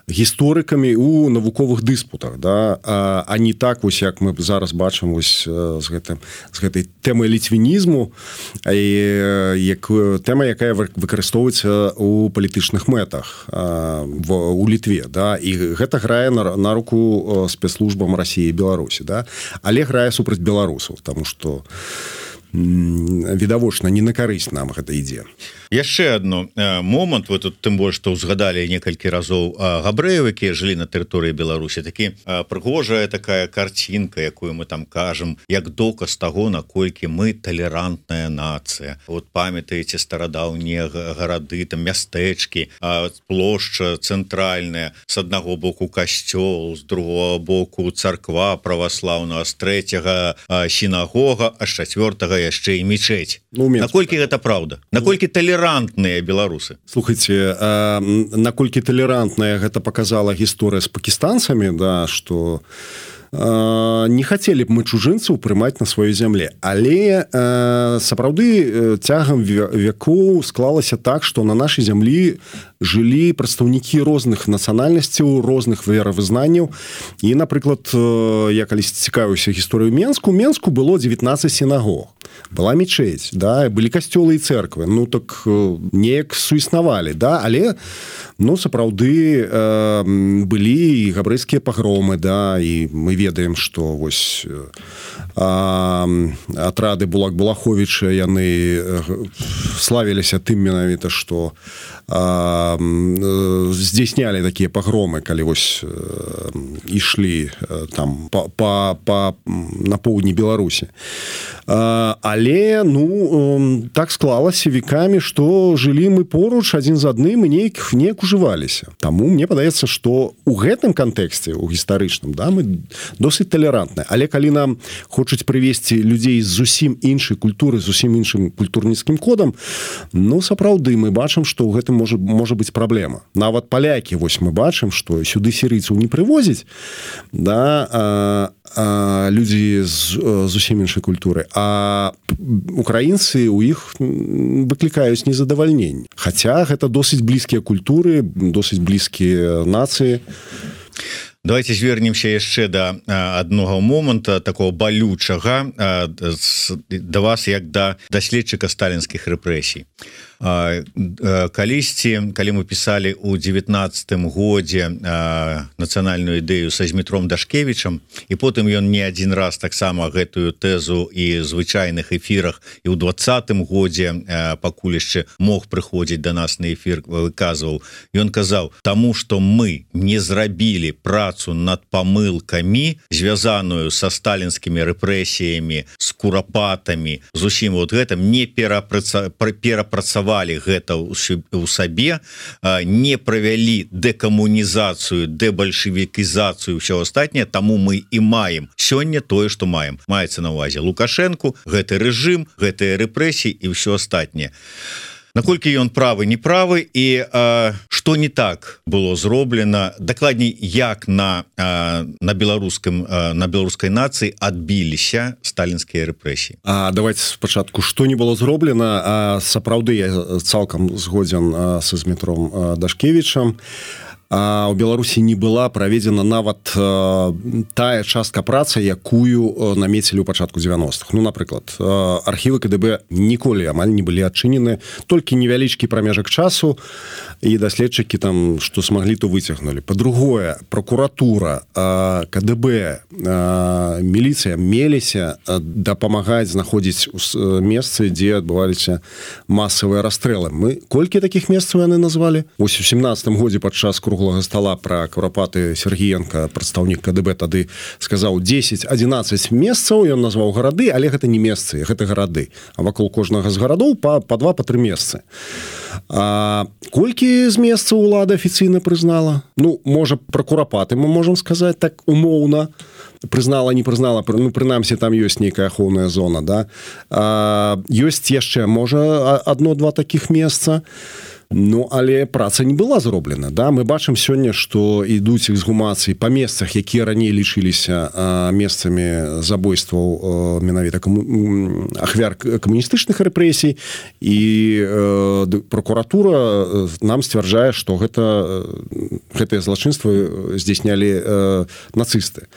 гісторыкамі у навуковых дыспутах, да, а, а не так вось як мы зараз бачым вось з гэтым з гэтай тэмай ліцвінізму, і як тэма, якая выкарыстоўваецца у палітычных мэтах а, в у Літве, да, і гэта грае на, на руку спецслужбам Расіі і Беларусі, да, але грае супраць беларусаў, таму што відавочна не на карысць нам гэта ідзе. Яшчэ адно момант, вы тут тым больш што ўзгадалі некалькі разоў габрэяў, якія жылі на тэрыторыі Беларусі, такі прыгожая такая карцінка, якую мы там кажам, як доказ таго, наколькі мы талерантная нацыя. Вот памятаеце старадаўнія гарады, там мястэчкі, плошча цэнтральная, з аднаго боку касцёл, з другого боку царква праваслаўная, з трэцяга сінагога, а з чацвёртага яшчэ і мечеть. Ну, наколькі гэта праўда? Наколькі талерантныя беларусы? Слухайце, а, наколькі талерантная гэта показала гісторыя з пакістанцамі, да, што а, не хацелі б мы чужынцаў прымаць на сваёй зямле, але а, сапраўды цягам вякоў склалася так, што на нашай зямлі жылі прадстаўнікі розных нацыянальнасцяў, розных веравызнанняў. І, напрыклад, я калісь цікавіўся гісторыю Менску, Менску было дзевятнаццаць сінагог. Была мечеть, да, былі касцёлы і церквы. Ну, так неяк суіснавалі, да, але, ну, сапраўды э, былі і габрэйскія пагромы, да, і мы ведаем, што вось э, атрады Булак-Булаховіча, яны славіліся тым менавіта, што э, здзяйснялі такія пагромы, калі вось э, ішлі э, там па, па, па, на поўдні Беларусі. Э, але, ну, э, так склалася векамі, што жылі мы поруч адзін з адным і неяк, неяк ужываліся. Таму мне падаецца, што ў гэтым кантэксце, у гістарычным, да, мы досыць талерантныя. Але калі нам хочуць прывесці людзей з зусім іншай культуры, з зусім іншым культурніцкім кодам, ну, сапраўды мы бачым, што ў гэтым можа, можа быць праблема. Нават палякі, вось мы бачым, што сюды сірыйцаў не прывозяць, да, а, а, людзі з зусім іншай культуры, а украінцы ў іх выклікаюць незадавальненне. Хаця гэта досыць блізкія культуры, досыць блізкія нацыі. Давайте звернемся яшчэ да аднога моманта такого балючага да вас як да даследчыка сталінскіх рэпрэсій. Калісьці, калі мы пісалі ў дзевятнаццатым годзе нацыянальную ідэю са Змітром Дашкевічам, і потым ён не адзін раз таксама гэтую тэзу і звычайных эфірах і ў двадцатым годзе пакуль яшчэ мог прыходзіць да нас на эфір, выказваў. Ён казаў, таму што мы не зрабілі працу над памылкамі, звязаную са сталінскімі рэпрэсіямі, з курапатамі, з усім вот гэтым, не перапрацавалі гэта ў сабе, не правялі дэкамунізацыю, дэбальшевікізацыю, ўсё астатняе, таму мы і маем сёння тое, што маем. Маецца на ўвазе Лукашэнку, гэты рэжым, гэтыя рэпрэсіі і ўсё астатняе. Наколькі ён правы, не правы, і а, што не так было зроблена, дакладней, як на, а, на беларускім, а, на беларускай нацыі адбіліся сталінскія рэпрэсіі. А давайте спачатку, што не было зроблена, а сапраўды я цалкам згодзен а, са Змітром Дашкевічам. А ў Беларусі не была праведзена нават э, тая частка працы, якую намецілі ў пачатку дзевяностых. Ну, напрыклад, э, архівы КДБ ніколі амаль не былі адчынены, толькі невялічкі прамежак часу, і даследчыкі там, што смаглі, то выцягнулі. Па-другое, прокуратура, э, КДБ, э, міліцыя меліся дапамагаць знаходзіць месцы, дзе адбываліся масавыя расстрэлы. Мы колькі такіх месцаў яны назвалі? Вось у сямнадцатым годзе падчас круглага стола про Курапаты Сергіенка, прадстаўнік КДБ, тады сказаў дзесяць-адзінаццаць месцаў, ён назваў гарады, але гэта не месцы, гэта гарады. А вакол кожнага з гарадоў па, па два, па тры месцы. А колькі з месцаў улада афіцыйна прызнала? Ну, можа, про Курапаты мы можам сказаць так умоўна. Прызнала, не прызнала, ну, прынамсі, там ёсць нейкая ахоўная зона, да? А, ёсць яшчэ, можа, адно-два такіх месца. Ну, але праца не была зроблена, да? Мы бачым сёння, што ідуць эксгумацыі па месцах, якія раней лічыліся а, месцамі забойстваў а, менавіта каму... ахвяр камуністычных рэпрэсій, і а, прокуратура нам сцвярджае, што гэта, гэтыя злачынствы здзяйснялі а, нацысты.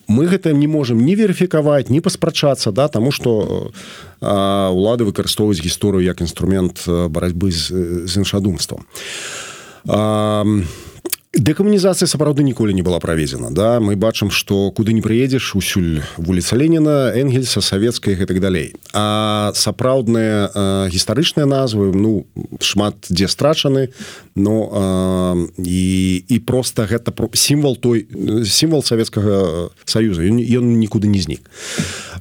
Мы гэта не можам ні верыфікаваць, ні паспрачацца, да, таму што а, улады выкарыстоўваюць гісторыю як інструмент барацьбы з, з іншадумствам. А, дэкамунізацыя сапраўды ніколі не была праведзена, да? Мы бачым, што куды не прыедзеш, усюль вуліца Леніна, Энгельса, Савецкая і гэтак далей. А сапраўдныя а, гістарычныя назвы, ну, шмат дзе страчаны, но а, і, і проста гэта сімвал той, сімвал Савецкага Саюза, ён, ён нікуды не знік.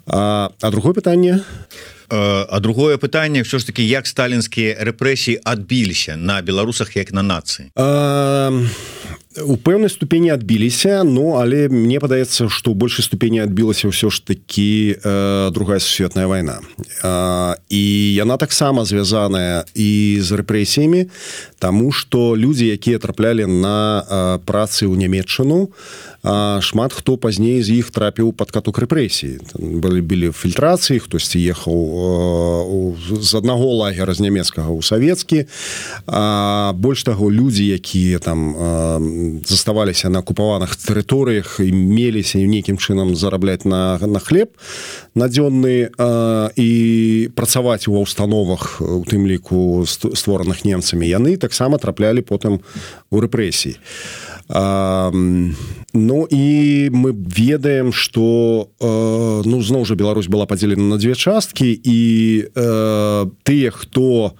А, а другое пытанне... А другое пытанне, що ж таки, як сталінскія рэпрэсіі адбіліся на беларусах як на нацыі? А, у пэўнай ступені адбіліся, ну, але мне падаецца, што ў большай ступені адбілася ўсё ж такі э, другая сусветная вайна. А, і яна таксама звязаная і з рэпрэсіямі, таму што людзі, якія траплялі на э, працы ў Нямецчыну, а шмат хто пазней з іх трапіў пад каток рэпрэсій. Былі, былі фільтрацыі, хтосьці ехаў э, з аднаго лагера з нямецкага ў савецкі. А больш таго, людзі, якія там э, заставаліся на акупаваных тэрыторыях і меліся нейкім чынам зарабляць на, на хлеб надзённы э, і працаваць ва ўстановах, у тым ліку створаных немцамі, яны таксама траплялі потым у рэпрэсіі. А, ну і мы ведаем, што э, ну, зноў жа Беларусь была падзелена на дзве часткі, і э, тыя, хто,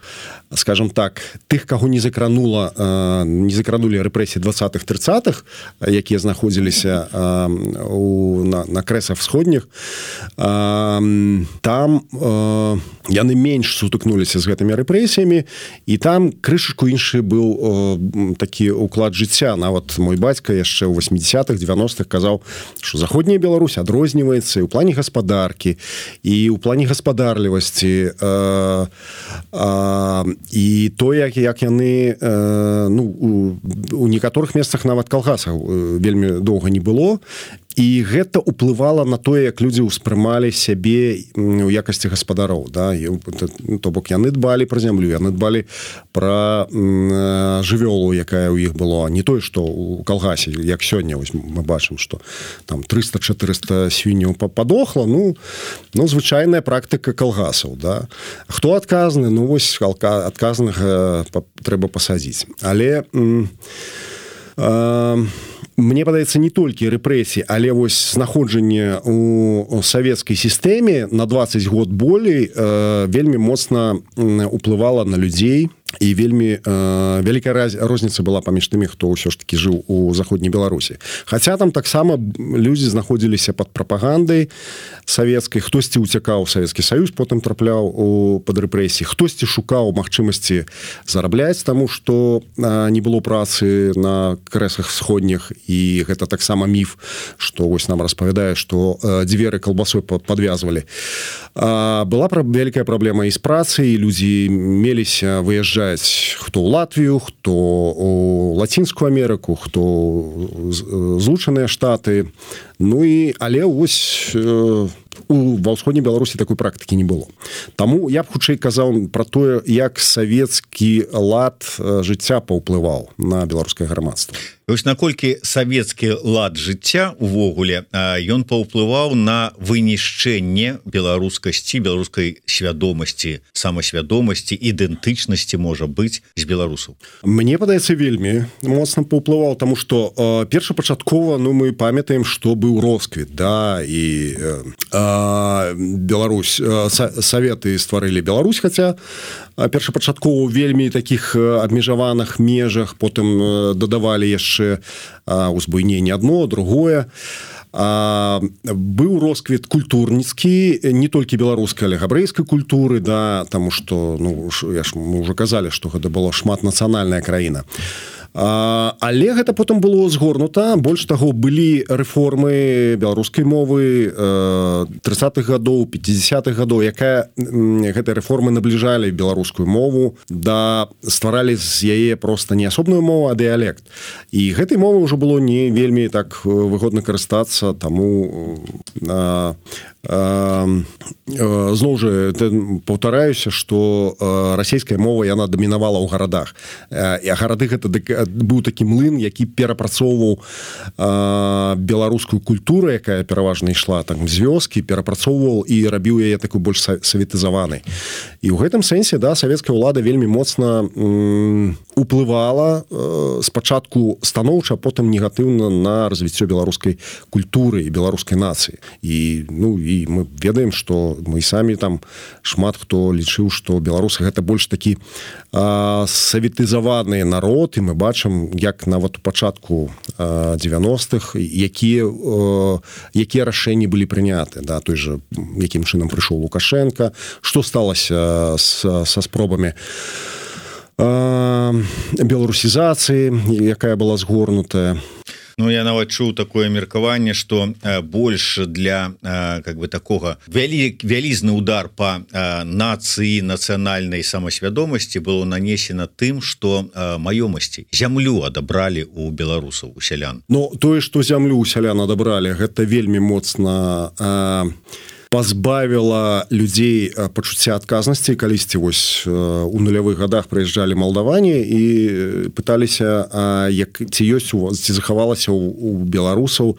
скажем так, тых, каго не закранула, э, не закранулі рэпрэсіі двадцатых-трыццатых, якія знаходзіліся э, у, на, на крэсах сходніх, э, там э, яны менш сутыкнуліся з гэтымі рэпрэсіямі, і там крышачку іншы быў э, такі ўклад жыцця. Нават мой бацька яшчэ ў восьмідзясятых, дзевяностых казаў, што заходняя Беларусь адрозніваецца і ў плане гаспадаркі, і ў плане гаспадарлівасці, э, э, і то, як, як яны э, ну, у, у некаторых месцах нават калгасаў вельмі доўга не было. І гэта ўплывала на тое, як людзі ўспрымалі сябе ў якасці гаспадароў. Да? То бок яны дбалі пра зямлю, яны дбалі пра жывёлу, якая ў іх была. Не тое, што ў калгасе, як сёння вось, мы бачым, што там трыста-чатырыста свінняў падохла, ну, ну, звычайная практыка калгасаў. Да? Хто адказны? Ну, вось адказнага трэба пасадзіць. Але... Э, мне падаецца, не толькі рэпрэсіі, але вось знаходжанне ў савецкай сістэме на дваццаць год болей э, вельмі моцна уплывала на людзей, і вельмі э, вялікая раз, розніца была паміж тымі, хто ўсё ж такі жыў у заходняй Беларусі. Хаця там таксама людзі знаходзіліся пад прапагандай савецкай, хтосьці ўцякаў у Савецкі Саюз, потым трапляў у пад рэпрэсіі, хтосьці шукаў магчымасці зарабляць, таму што э, не было працы на крэсах сходніх, і гэта таксама міф, што вось нам распавядае, што э, дзверы калбасой падвязвалі. А, была пра, вялікая праблема і з працай, і людзі меліся выязджаць хто ў Латвію, хто у Лацінскую Амерыку, хто злучаныя штаты. Ну і але вось э, у ва ўсходняй Беларусі такой практыкі не было. Таму я б хутчэй казаў пра тое, як савецкі лад жыцця паўплываў на беларускае грамадства. Вось наколькі савецкі лад жыцця увогуле ён паўплываў на вынішчэнне беларускасці, беларускай свядомасці, самасвядомасці, ідэнтычнасці, можа быць, з беларусаў. Мне падаецца, вельмі моцна паўплываў, таму што э, першапачаткова, ну, мы памятаем, што быў росквіт, да, і э, э, Беларусь, э, саветы стварылі Беларусь, хаця першапачаткова вельмі такіх абмежаваных межах, потым дадавалі яшчэ узбуйненне адно, другое. А, быў росквіт культурніцкі, не толькі беларускай, але габрэйскай культуры, да, таму што, ну, я ж, мы ўжо казалі, што гэта была шматнацыянальная краіна. А, але гэта потым было згорнута. Больш таго, былі рэформы беларускай мовы тридцатых гадоў, пятидесятых гадоў, якая гэтыя рэформы набліжалі беларускую мову, да стваралі з яе проста не асобную мову, а дыялект. І гэтай мовы ўжо было не вельмі так выгодна карыстацца, таму а, зноў жа паўтараюся, што расійская мова яна дамінавала ў гарадах, і гарады гэта быў такі млын, які перапрацоўваў беларускую культуру, якая пераважна ішла там з вёскі, перапрацоўваў і рабіў яе такой больш саветызаванай. І ў гэтым сэнсе, да, савецкая ўлада вельмі моцна уплывала спачатку станоўча, а потым негатыўна на развіццё беларускай культуры і беларускай нацыі. І, ну, і мы ведаем, што мы самі там шмат хто лічыў, што беларусы гэта больш такі а, саветызаваны народ, і мы бачым, як нават у пачатку дзевяностых якія, а, якія рашэнні былі прыняты, да, той же, якім чынам прыйшоў Лукашенко, што сталася са, са спробамі а, беларусізацыі, якая была згорнутая. Ну, я нават чуў такое меркаванне, што э, больш для э, как бы такога вялі, вялізны удар па э, нацыі, нацыянальнай самасвядомасці было нанесена тым, што э, маёмасці, зямлю адабралі у беларусаў, у сялян. Ну, тое, што зямлю у сялян адабралі, гэта вельмі моцна э, пазбавіла людзей пачуцця адказнасці. Калісьці вось у нулявых гадах прыязджалі малдаване і пыталіся, як ці ёсць у вас, ці захавалася у, у беларусаў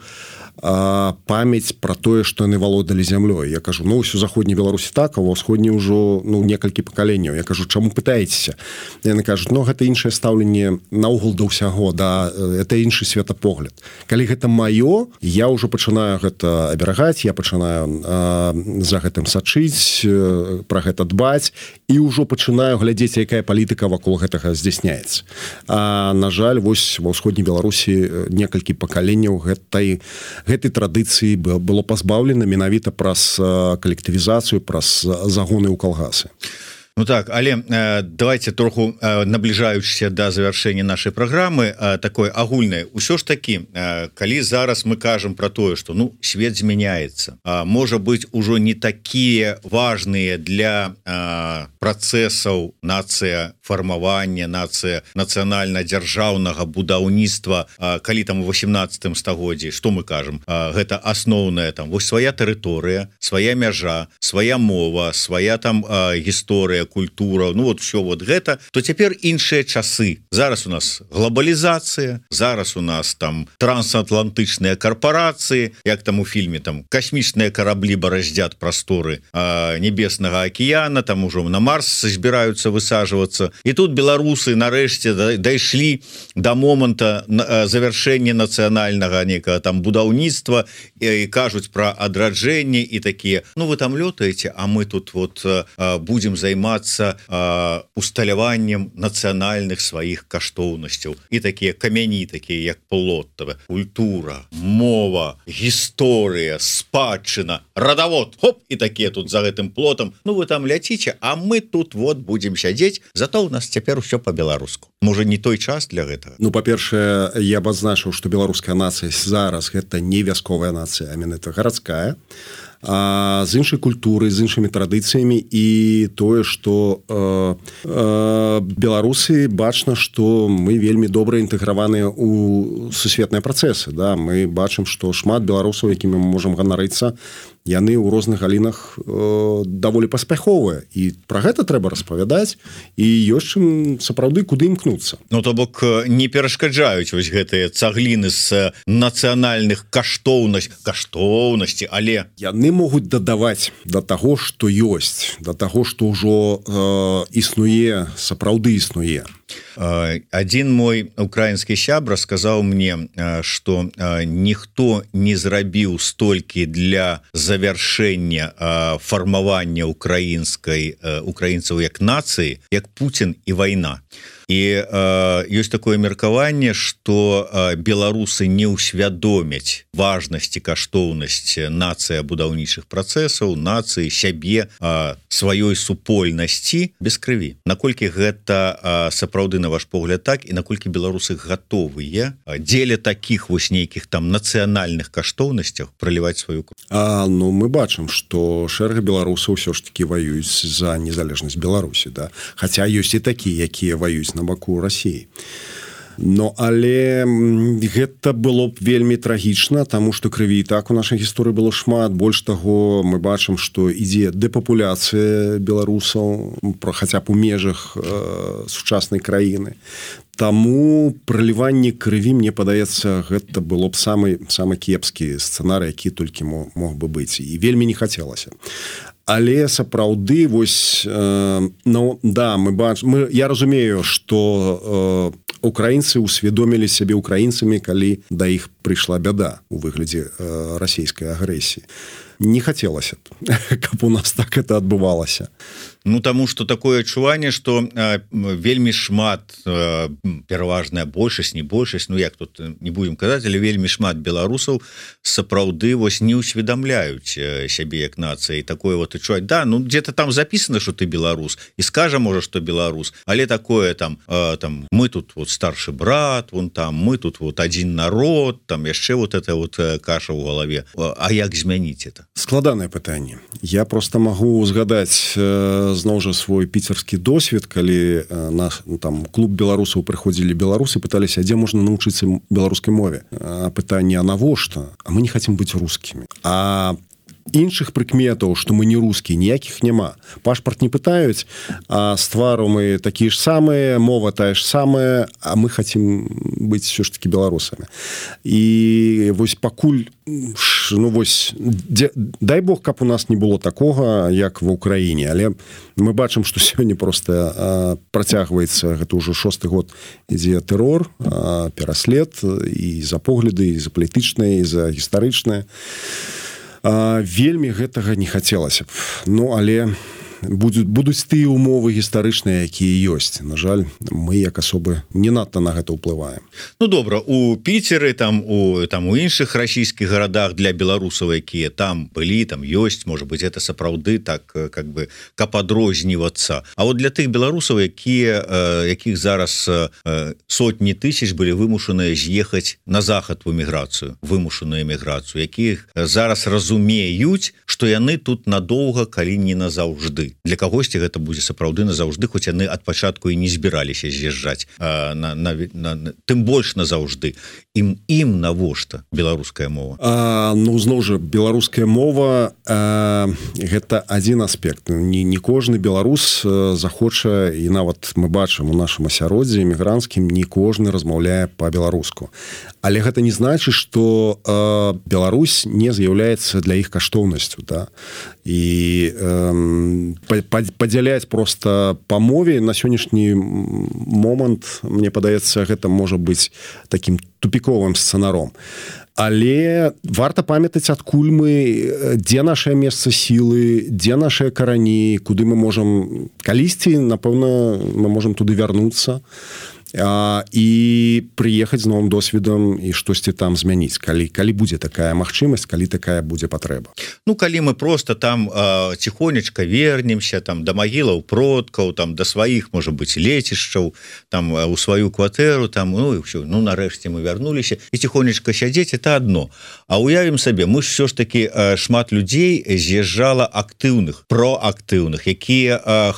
памяць пра тое, што яны валодалі зямлёй. Я кажу, ну, ўсё заходняй Беларусі так, а ва ўсходняй ўжо, ну, некалькі пакаленняў. Я кажу, чаму пытаецеся? Яны кажуць, ну, гэта іншае стаўленне наогул да ўсяго, да, это іншы светапогляд. Калі гэта маё, я ўжо пачынаю гэта аберагаць, я пачынаю а, за гэтым сачыць, пра гэта дбаць, і ўжо пачынаю глядзець, якая палітыка вакол гэтага здзяйсняецца. А, на жаль, вось ва ўсходняй Беларусі некалькі пакаленняў гэтай гэтай традыцыі было пазбаўлена менавіта праз калектывізацыю, праз загоны ў калгасы. Ну так, але э, давайте троху э, набліжаючыся да завяршэння нашай праграмы, э, такое агульнае. Усё ж такі, э, калі зараз мы кажам пра тое, што, ну, свет змяняецца, э, можа быць ужо не такія важныя для э, працэсаў нацыя фармавання, нацыя нацыянальна-дзяржаўнага будаўніцтва, э, калі там у восемнадцатым стагоддзі, што мы кажам, э, гэта асноўная там вось свая тэрыторыя, свая мяжа, свая мова, свая там э, гісторыя, культура, ну вот все вот гэта, то цяпер іншыя часы. Зараз у нас глобалізацыя, зараз у нас там трансатлантычныя карпорацыі, як там у фільме, там касмічныя караблі бараздзят прасторы а, небеснага акіяна, там ужо на Марс збіраюцца высаджвацца. І тут беларусы нарэшце дайшлі да моманта завяршэння нацыянальнага некага там будаўніцтва і, і кажуць пра адраджэнне і такія, ну вы там лётаеце, а мы тут вот а, будем займацца усталяваннем нацыянальных сваіх каштоўнасцяў. І такія камяні, такія як Плоттава, культура, мова, гісторыя, спадчына, радавод, хоп, і такія тут за гэтым плотам. Ну вы там ляціце, а мы тут вот будем сядзець, зато у нас цяпер усё па-беларуску. Можа, не той час для гэтага? Ну, па-першае, я б адзначыў, што беларуская нацыя зараз гэта не вясковая нацыя, а менавіта гарадская, а, з іншай культуры, з іншымі традыцыямі, і тое, што э, э, беларусы бачна, што мы вельмі добра інтэграваныя ў сусветныя працэсы. Да? Мы бачым, што шмат беларусаў, якімі мы можам ганарыцца, яны ў розных галінах э, даволі паспяховыя, і пра гэта трэба распавядаць, і ёсць чым сапраўды куды імкнуцца. Ну то бок не перашкаджаюць вось гэтыя цагліны з нацыянальных каштоўнасць каштоўнасці, але яны могуць дадаваць да таго, што ёсць, да таго, што ўжо э, існуе, сапраўды існуе. Адзін мой украінскі сябра сказаў мне, што ніхто не зрабіў столькі для завяршэння фармавання украінскай украінцаў як нацыі, як Пуцін і вайна. І э, ёсць такое меркаванне, што э, беларусы не ўсвядомяць важнасць і каштоўнасць нацыі будаўнічых працэсаў, нацыі сябе, э, сваёй супольнасці без крыві. Наколькі гэта э, сапраўды на ваш погляд так, і наколькі беларусы гатовыя э, дзеля такіх вось нейкіх там нацыянальных каштоўнасцях праліваць сваю кроў? А, ну мы бачым, што шэраг беларусаў ўсё ж такі ваююць за незалежнасць Беларусі, да? Хаця ёсць і такія, якія ваююць на баку России. Но але гэта было б вельмі трагічна, таму што крыві і так у нашай гісторыі было шмат. Больш таго, мы бачым, што ідзе дэпапуляцыя беларусаў, про хаця б у межах э, сучаснай краіны. Таму праліванне крыві, мне падаецца, гэта было б самы самы кепскі сцэнарый, які толькі мог, мог бы быць, і вельмі не хацелася. Але сапраўды вось э, ну да, мы бач мы я разумею, што э, украінцы усведомілі сябе украінцамі, калі да іх прыйшла бяда у выглядзе э, расійскай агрэсіі. Не хацелася б, каб у нас так это адбывалася. Ну таму што такое адчуванне, што э, вельмі шмат э, пераважная большасць, не большасць, ну як тут не будем казаць, але вельмі шмат беларусаў сапраўды вось не ўсведамляюць э, сябе як нацыі, такое вот адчуваць. Да, ну где-то там записано, что ты беларус, і скажа можа, што беларус, але такое там э, там мы тут вот старшы брат, вон там мы тут вот адзін народ, там яшчэ вот это вот э, каша ў галаве. А як змяніць это? Складанае пытанне. Я просто магу згадаць э, зноў жа свой піцерскі досвед, калі э, наш там клуб беларусаў прыходзілі беларусы, пыталіся, дзе можна навучыцца беларускай мове. А пытанне, а навошта? А мы не хацім быць рускімі. А іншых прыкметаў, што мы не рускія, ніякіх няма. Пашпарт не пытаюць, а з твару мы такія ж самыя, мова тая ж самая, а мы хацім быць все ж таки беларусамі. І вось пакуль, ну вось, дзе, дай Бог, каб у нас не было такога, як ва Ўкраіне, але мы бачым, што сёння проста а, працягваецца, гэта ўжо шосты год ідзе тэрор, а, пераслед і за погляды, і за палітычныя, і за гістарычныя. А, вельмі гэтага не хацелася б. Ну, але будуць, будуць тыя умовы гістарычныя, якія ёсць. На жаль, мы як асобы не надта на гэта ўплываем. Ну добра, у Піцеры, там у там у іншых расійскіх гарадах для беларусаў, якія там былі, там ёсць, можа быць, это сапраўды так как бы каб адрознівацца. А вот для тых беларусаў, якія якіх зараз сотні тысяч былі вымушаныя з'ехаць на захад у эміграцыю, вымушаную эміграцыю, якіх зараз разумеюць, што яны тут надоўга, калі не назаўжды. Для кагосьці гэта будзе сапраўды назаўжды, хоць яны ад пачатку і не збіраліся з'язджаць, на, на, на, на, тым больш назаўжды. Ім ім навошта беларуская мова? А, ну зноў жа, беларуская мова а, гэта адзін аспект. Не, не кожны беларус захоча, і нават мы бачым у нашым асяроддзі эмігранцкім, не кожны размаўляе па-беларуску. Але гэта не значыць, што а, Беларусь не з'яўляецца для іх каштоўнасцю, да? І э, падзяляць просто па мове на сённяшні момант, мне падаецца, гэта можа быць такім тупіковым сцэнаром. Але варта памятаць, адкуль мы, дзе нашае месца сілы, дзе нашыя карані, куды мы можам калісьці, напэўна, мы можам туды вярнуцца. А, і прыехаць з новым досведам і штосьці там змяніць, калі, калі будзе такая магчымасць, калі такая будзе патрэба. Ну, калі мы просто там э, ціхонечка вернемся там да магілаў продкаў, там да сваіх, можа быць, лецішчаў, там у сваю кватэру, там, ну, і ўсё, ну, нарэшце мы вярнуліся, і ціхонечка сядзець, это адно. А уявім сабе, мы ж все ж таки э, шмат людзей з'язджала актыўных, проактыўных, якія э,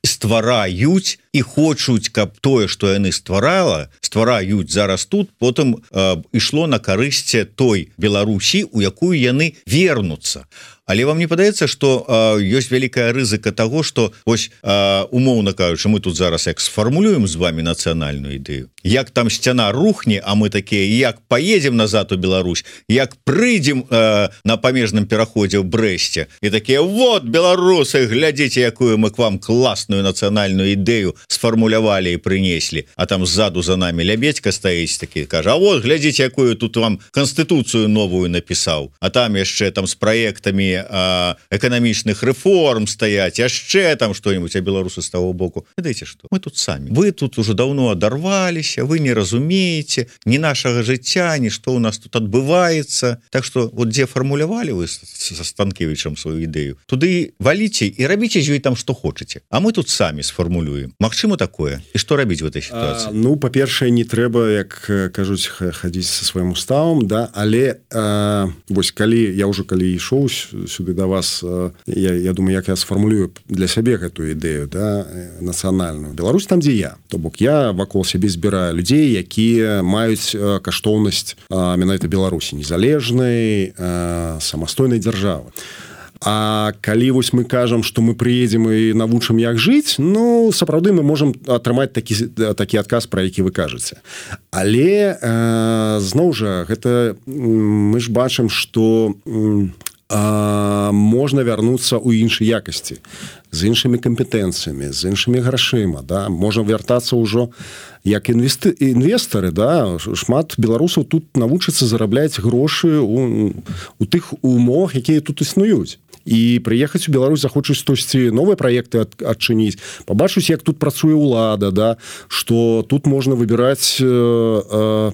ствараюць і хочуць, каб тое, што яны стварала, ствараюць зараз тут, потым э, ішло на карысць той Беларусі, у якую яны вернуцца. Але вам не падаецца, што ёсць вялікая рызыка того, што ось умоўна кажучы, мы тут зараз як сфармулюем з вами нацыянальную ідэю, як там сцяна рухне, а мы такія як поедем назад у Беларусь, як прыйдзем на памежным пераходзе ў Брэсце і такія вот беларусы, глядзіце, якую мы к вам класную нацыянальную ідэю сфармулявалі і прынеслі, а там ззаду за нами Лябедька стаіць такі, кажа, а вот глядзіце, якую тут вам канстытуцыю новую напісаў, а там яшчэ там з праектамі эканамічных рэформ стаяць, яшчэ там што-нибудь, а беларусы з таго боку. Ведаеце што? Мы тут самі. Вы тут уже давно адарваліся, вы не разумееце ні нашага жыцця, ні што ў нас тут адбываецца. Так што вот дзе фармулявалі вы са Станкевічам сваю ідэю, туды валіце і рабіце з ёй там што хочаце. А мы тут самі сфармулюем. Магчыма такое? І што рабіць в этой сітуацыі? А, ну, па-першае, не трэба, як кажуць, хадзіць са сваім уставам, да, але а, вось калі я ўжо калі ішоў сюды да вас, я, я думаю, як я сфармулюю для сябе гэтую ідэю, да, нацыянальную. Беларусь там, дзе я. То бок я вакол сябе збіраю людзей, якія маюць каштоўнасць менавіта Беларусі, незалежнай, самастойнай дзяржавы. А калі вось мы кажам, што мы прыедзем і навучым, як жыць, ну, сапраўды мы можам атрымаць такі, такі адказ, пра які вы кажаце. Але, э, зноў жа, гэта мы ж бачым, што э, можна вярнуцца ў іншай якасці, з іншымі кампетэнцыямі, з іншымі грашыма, да? Можна вяртацца ўжо як інвесты... інвестары, да? Шмат беларусаў тут навучацца зарабляць грошы у, у тых умовах, якія тут існуюць. І прыехаць у Беларусь захочуць штосьці новыя праекты ад, адчыніць, пабачуць, як тут працуе ўлада, да? Што тут можна выбіраць э, э,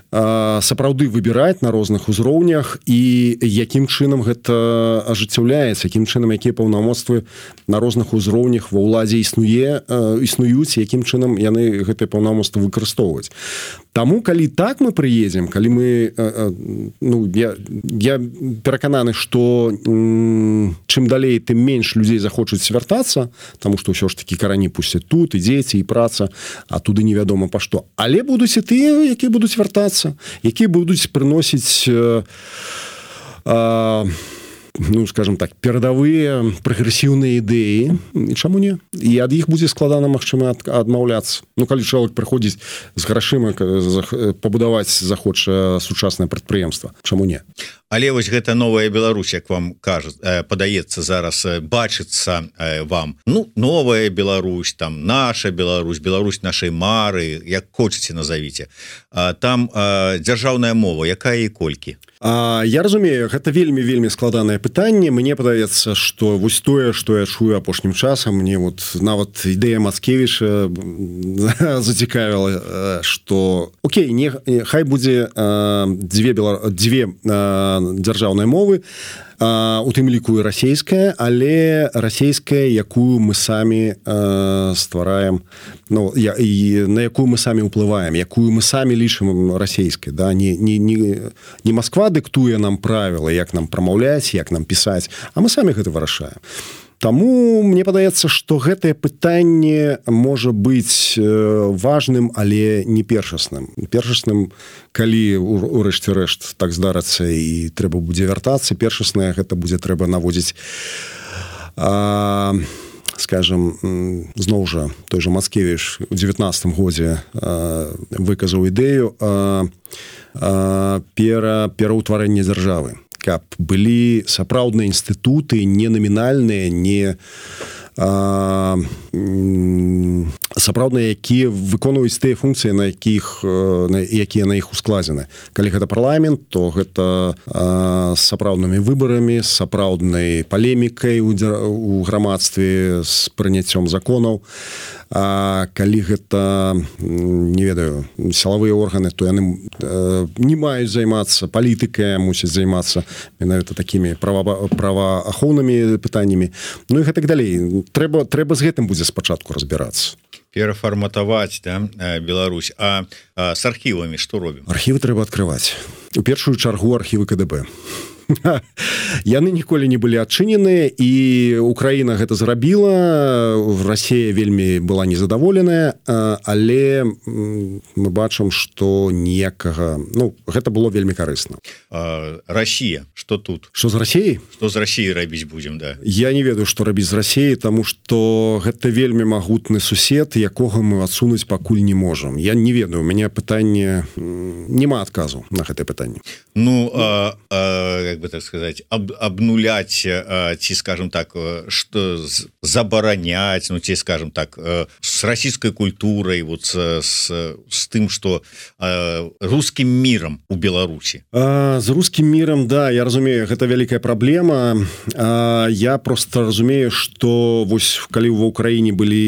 сапраўды выбіраць на розных узроўнях і якім чынам гэта ажыццяўляецца, якім чынам якія паўнамоцтвы на розных узроўнях ва ўладзе існуе, існуюць, якім чынам яны гэтыя паўнамоцтвы выкарыстоўваць. Таму, калі так мы прыедзем, калі мы, ну, я, я перакананы, што чым далей, тым менш людзей захочуць свяртацца, таму што ўсё ж такі карані пусцяць тут, і дзеці, і праца, а туды невядома па што. Але будуць і тыя, якія будуць вяртацца, якія будуць прыносіць э, э, ну, скажем так, перадавыя прагрэсіўныя ідэі, і чаму не? І ад іх будзе складана, магчыма, адмаўляцца. Ну, калі чалавек прыходзіць з грашыма пабудаваць захоча сучаснае прадпрыемства, чаму не? Але вось гэта новая Беларусь, як вам кажа, падаецца зараз, бачыцца вам. Ну, новая Беларусь, там, наша Беларусь, Беларусь нашай мары, як хочаце назавіце. Там дзяржаўная мова, якая і колькі? А, я разумею, гэта вельмі-вельмі складанае пытанне. Мне падаецца, што вось тое, што я чую апошнім часам, мне вот нават ідэя Мацкевіча зацікавіла, што окей, не, хай будзе а, дзве, белар... дзве а, дзяржаўныя мовы, а, у тым ліку і расейская, але расейская, якую мы самі а, ствараем, ну, я, і на якую мы самі ўплываем, якую мы самі лічым расейскай, да? не, не, не, не Москва дыктуе нам правілы, як нам прамаўляць, як нам пісаць, а мы самі гэта вырашаем. Таму мне падаецца, што гэтае пытанне можа быць важным, але не першасным. Першасным, калі урэшце рэшт так здарацца і трэба будзе вяртацца, першаснае гэта будзе трэба наводзіць, а, скажем, зноў жа, той жа Мацкевіч у дзевятнаццатым годзе а, выказаў ідэю а, а, пера, пераўтварэння дзяржавы, каб былі сапраўдныя інстытуты, не намінальныя, не а, сапраўдныя, якія выконваюць тыя функцыі, на якіх, на, якія на іх ускладзены. Калі гэта парламент, то гэта а, з сапраўднымі выбарамі, з сапраўднай палемікай у, у грамадстве, з прыняццём законаў. А калі гэта, не ведаю, сілавыя органы, то яны э, не маюць займацца палітыкай, мусяць займацца менавіта такімі права, праваахоўнымі пытаннямі. Ну і гэтак далей. Трэба, трэба з гэтым будзе спачатку разбірацца. Перафарматаваць, да, Беларусь. А, а з архівамі што робім? Архівы трэба адкрываць. У першую чаргу архівы ка дэ бэ. яны ніколі не былі адчыненыя, і Украіна гэта зрабіла, Расія вельмі была незадаволеная, але мы бачым, што ніякага, ну гэта было вельмі карысна. Россия, что тут? Что з Расіяй? Что з Расіяй рабіць будзем, да? Я не ведаю, што рабіць з Расіяй, таму што гэта вельмі магутны сусед, якога мы адсунуць пакуль не можам. Я не ведаю, у мяне пытанне, няма адказу на гэтае пытанне. Ну, а, а, как бы так сказать, об, обнулять, а, ці, скажем так, что забаранять, ну, ці, скажем так, с российской культурой, вот с, с, с тым, что а, русским миром у Беларусі. А, з русским миром, да, я разумею, гэта вялікая праблема. А, я просто разумею, что вось калі ва Украіне былі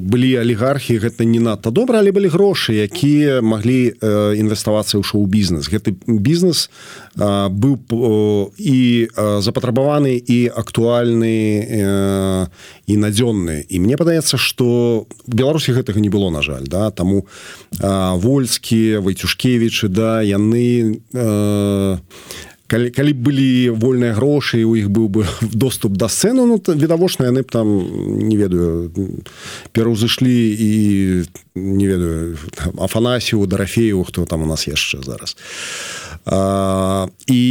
былі алігархі, гэта не надта добра, але былі грошы, якія маглі э, інвеставацца ў шоу-бізнес. Гэты бізнес э, быў э, і э, запатрабаваны, і актуальны, э, і надзённы. І мне падаецца, што в Беларусі гэтага не было, на жаль, да, таму э, Вольскі, Вайцюшкевічы, да, яны э, калі, калі былі вольныя грошы, у іх быў бы доступ да сцэны, ну, відавочна, яны б там, не ведаю, пераўзышлі і, не ведаю, Афанасію, Дарафею, хто там у нас яшчэ зараз. А, і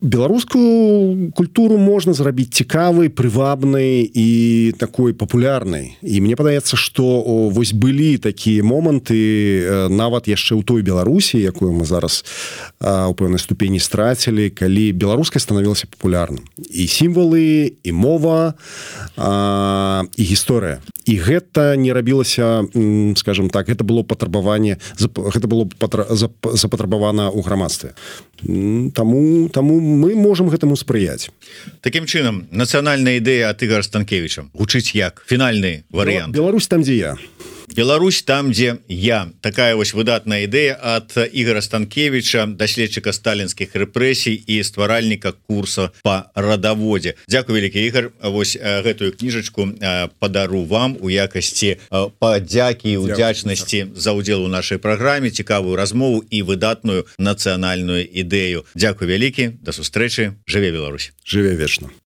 беларускую культуру можна зрабіць цікавай, прывабнай і такой папулярнай. І мне падаецца, што вось былі такія моманты нават яшчэ ў той Беларусі, якую мы зараз а, у пэўнай ступені страцілі, калі беларуская станавілася папулярным. І сімвалы, і мова, а, і гісторыя. І гэта не рабілася, скажем так, гэта было патрабаванне, гэта было запатрабавана ў грамадстве. Таму, таму мы можам гэтаму спрыяць. Такім чынам, нацыянальная ідэя ад Ігара Станкевіча гучыць як фінальны варыянт. Беларусь там, дзе я. Беларусь там, дзе я. Такая вось выдатная ідэя ад Ігара Станкевіча, даследчыка сталінскіх рэпрэсій і стваральніка курса па радаводзе. Дзякуй вялікі, Ігар. Вось гэтую кніжачку падару вам у якасці падзякі і удзячнасці за ўдзел у нашай праграме, цікавую размову і выдатную нацыянальную ідэю. Дзякуй вялікі, да сустрэчы, жыве Беларусь. Жыве вечна.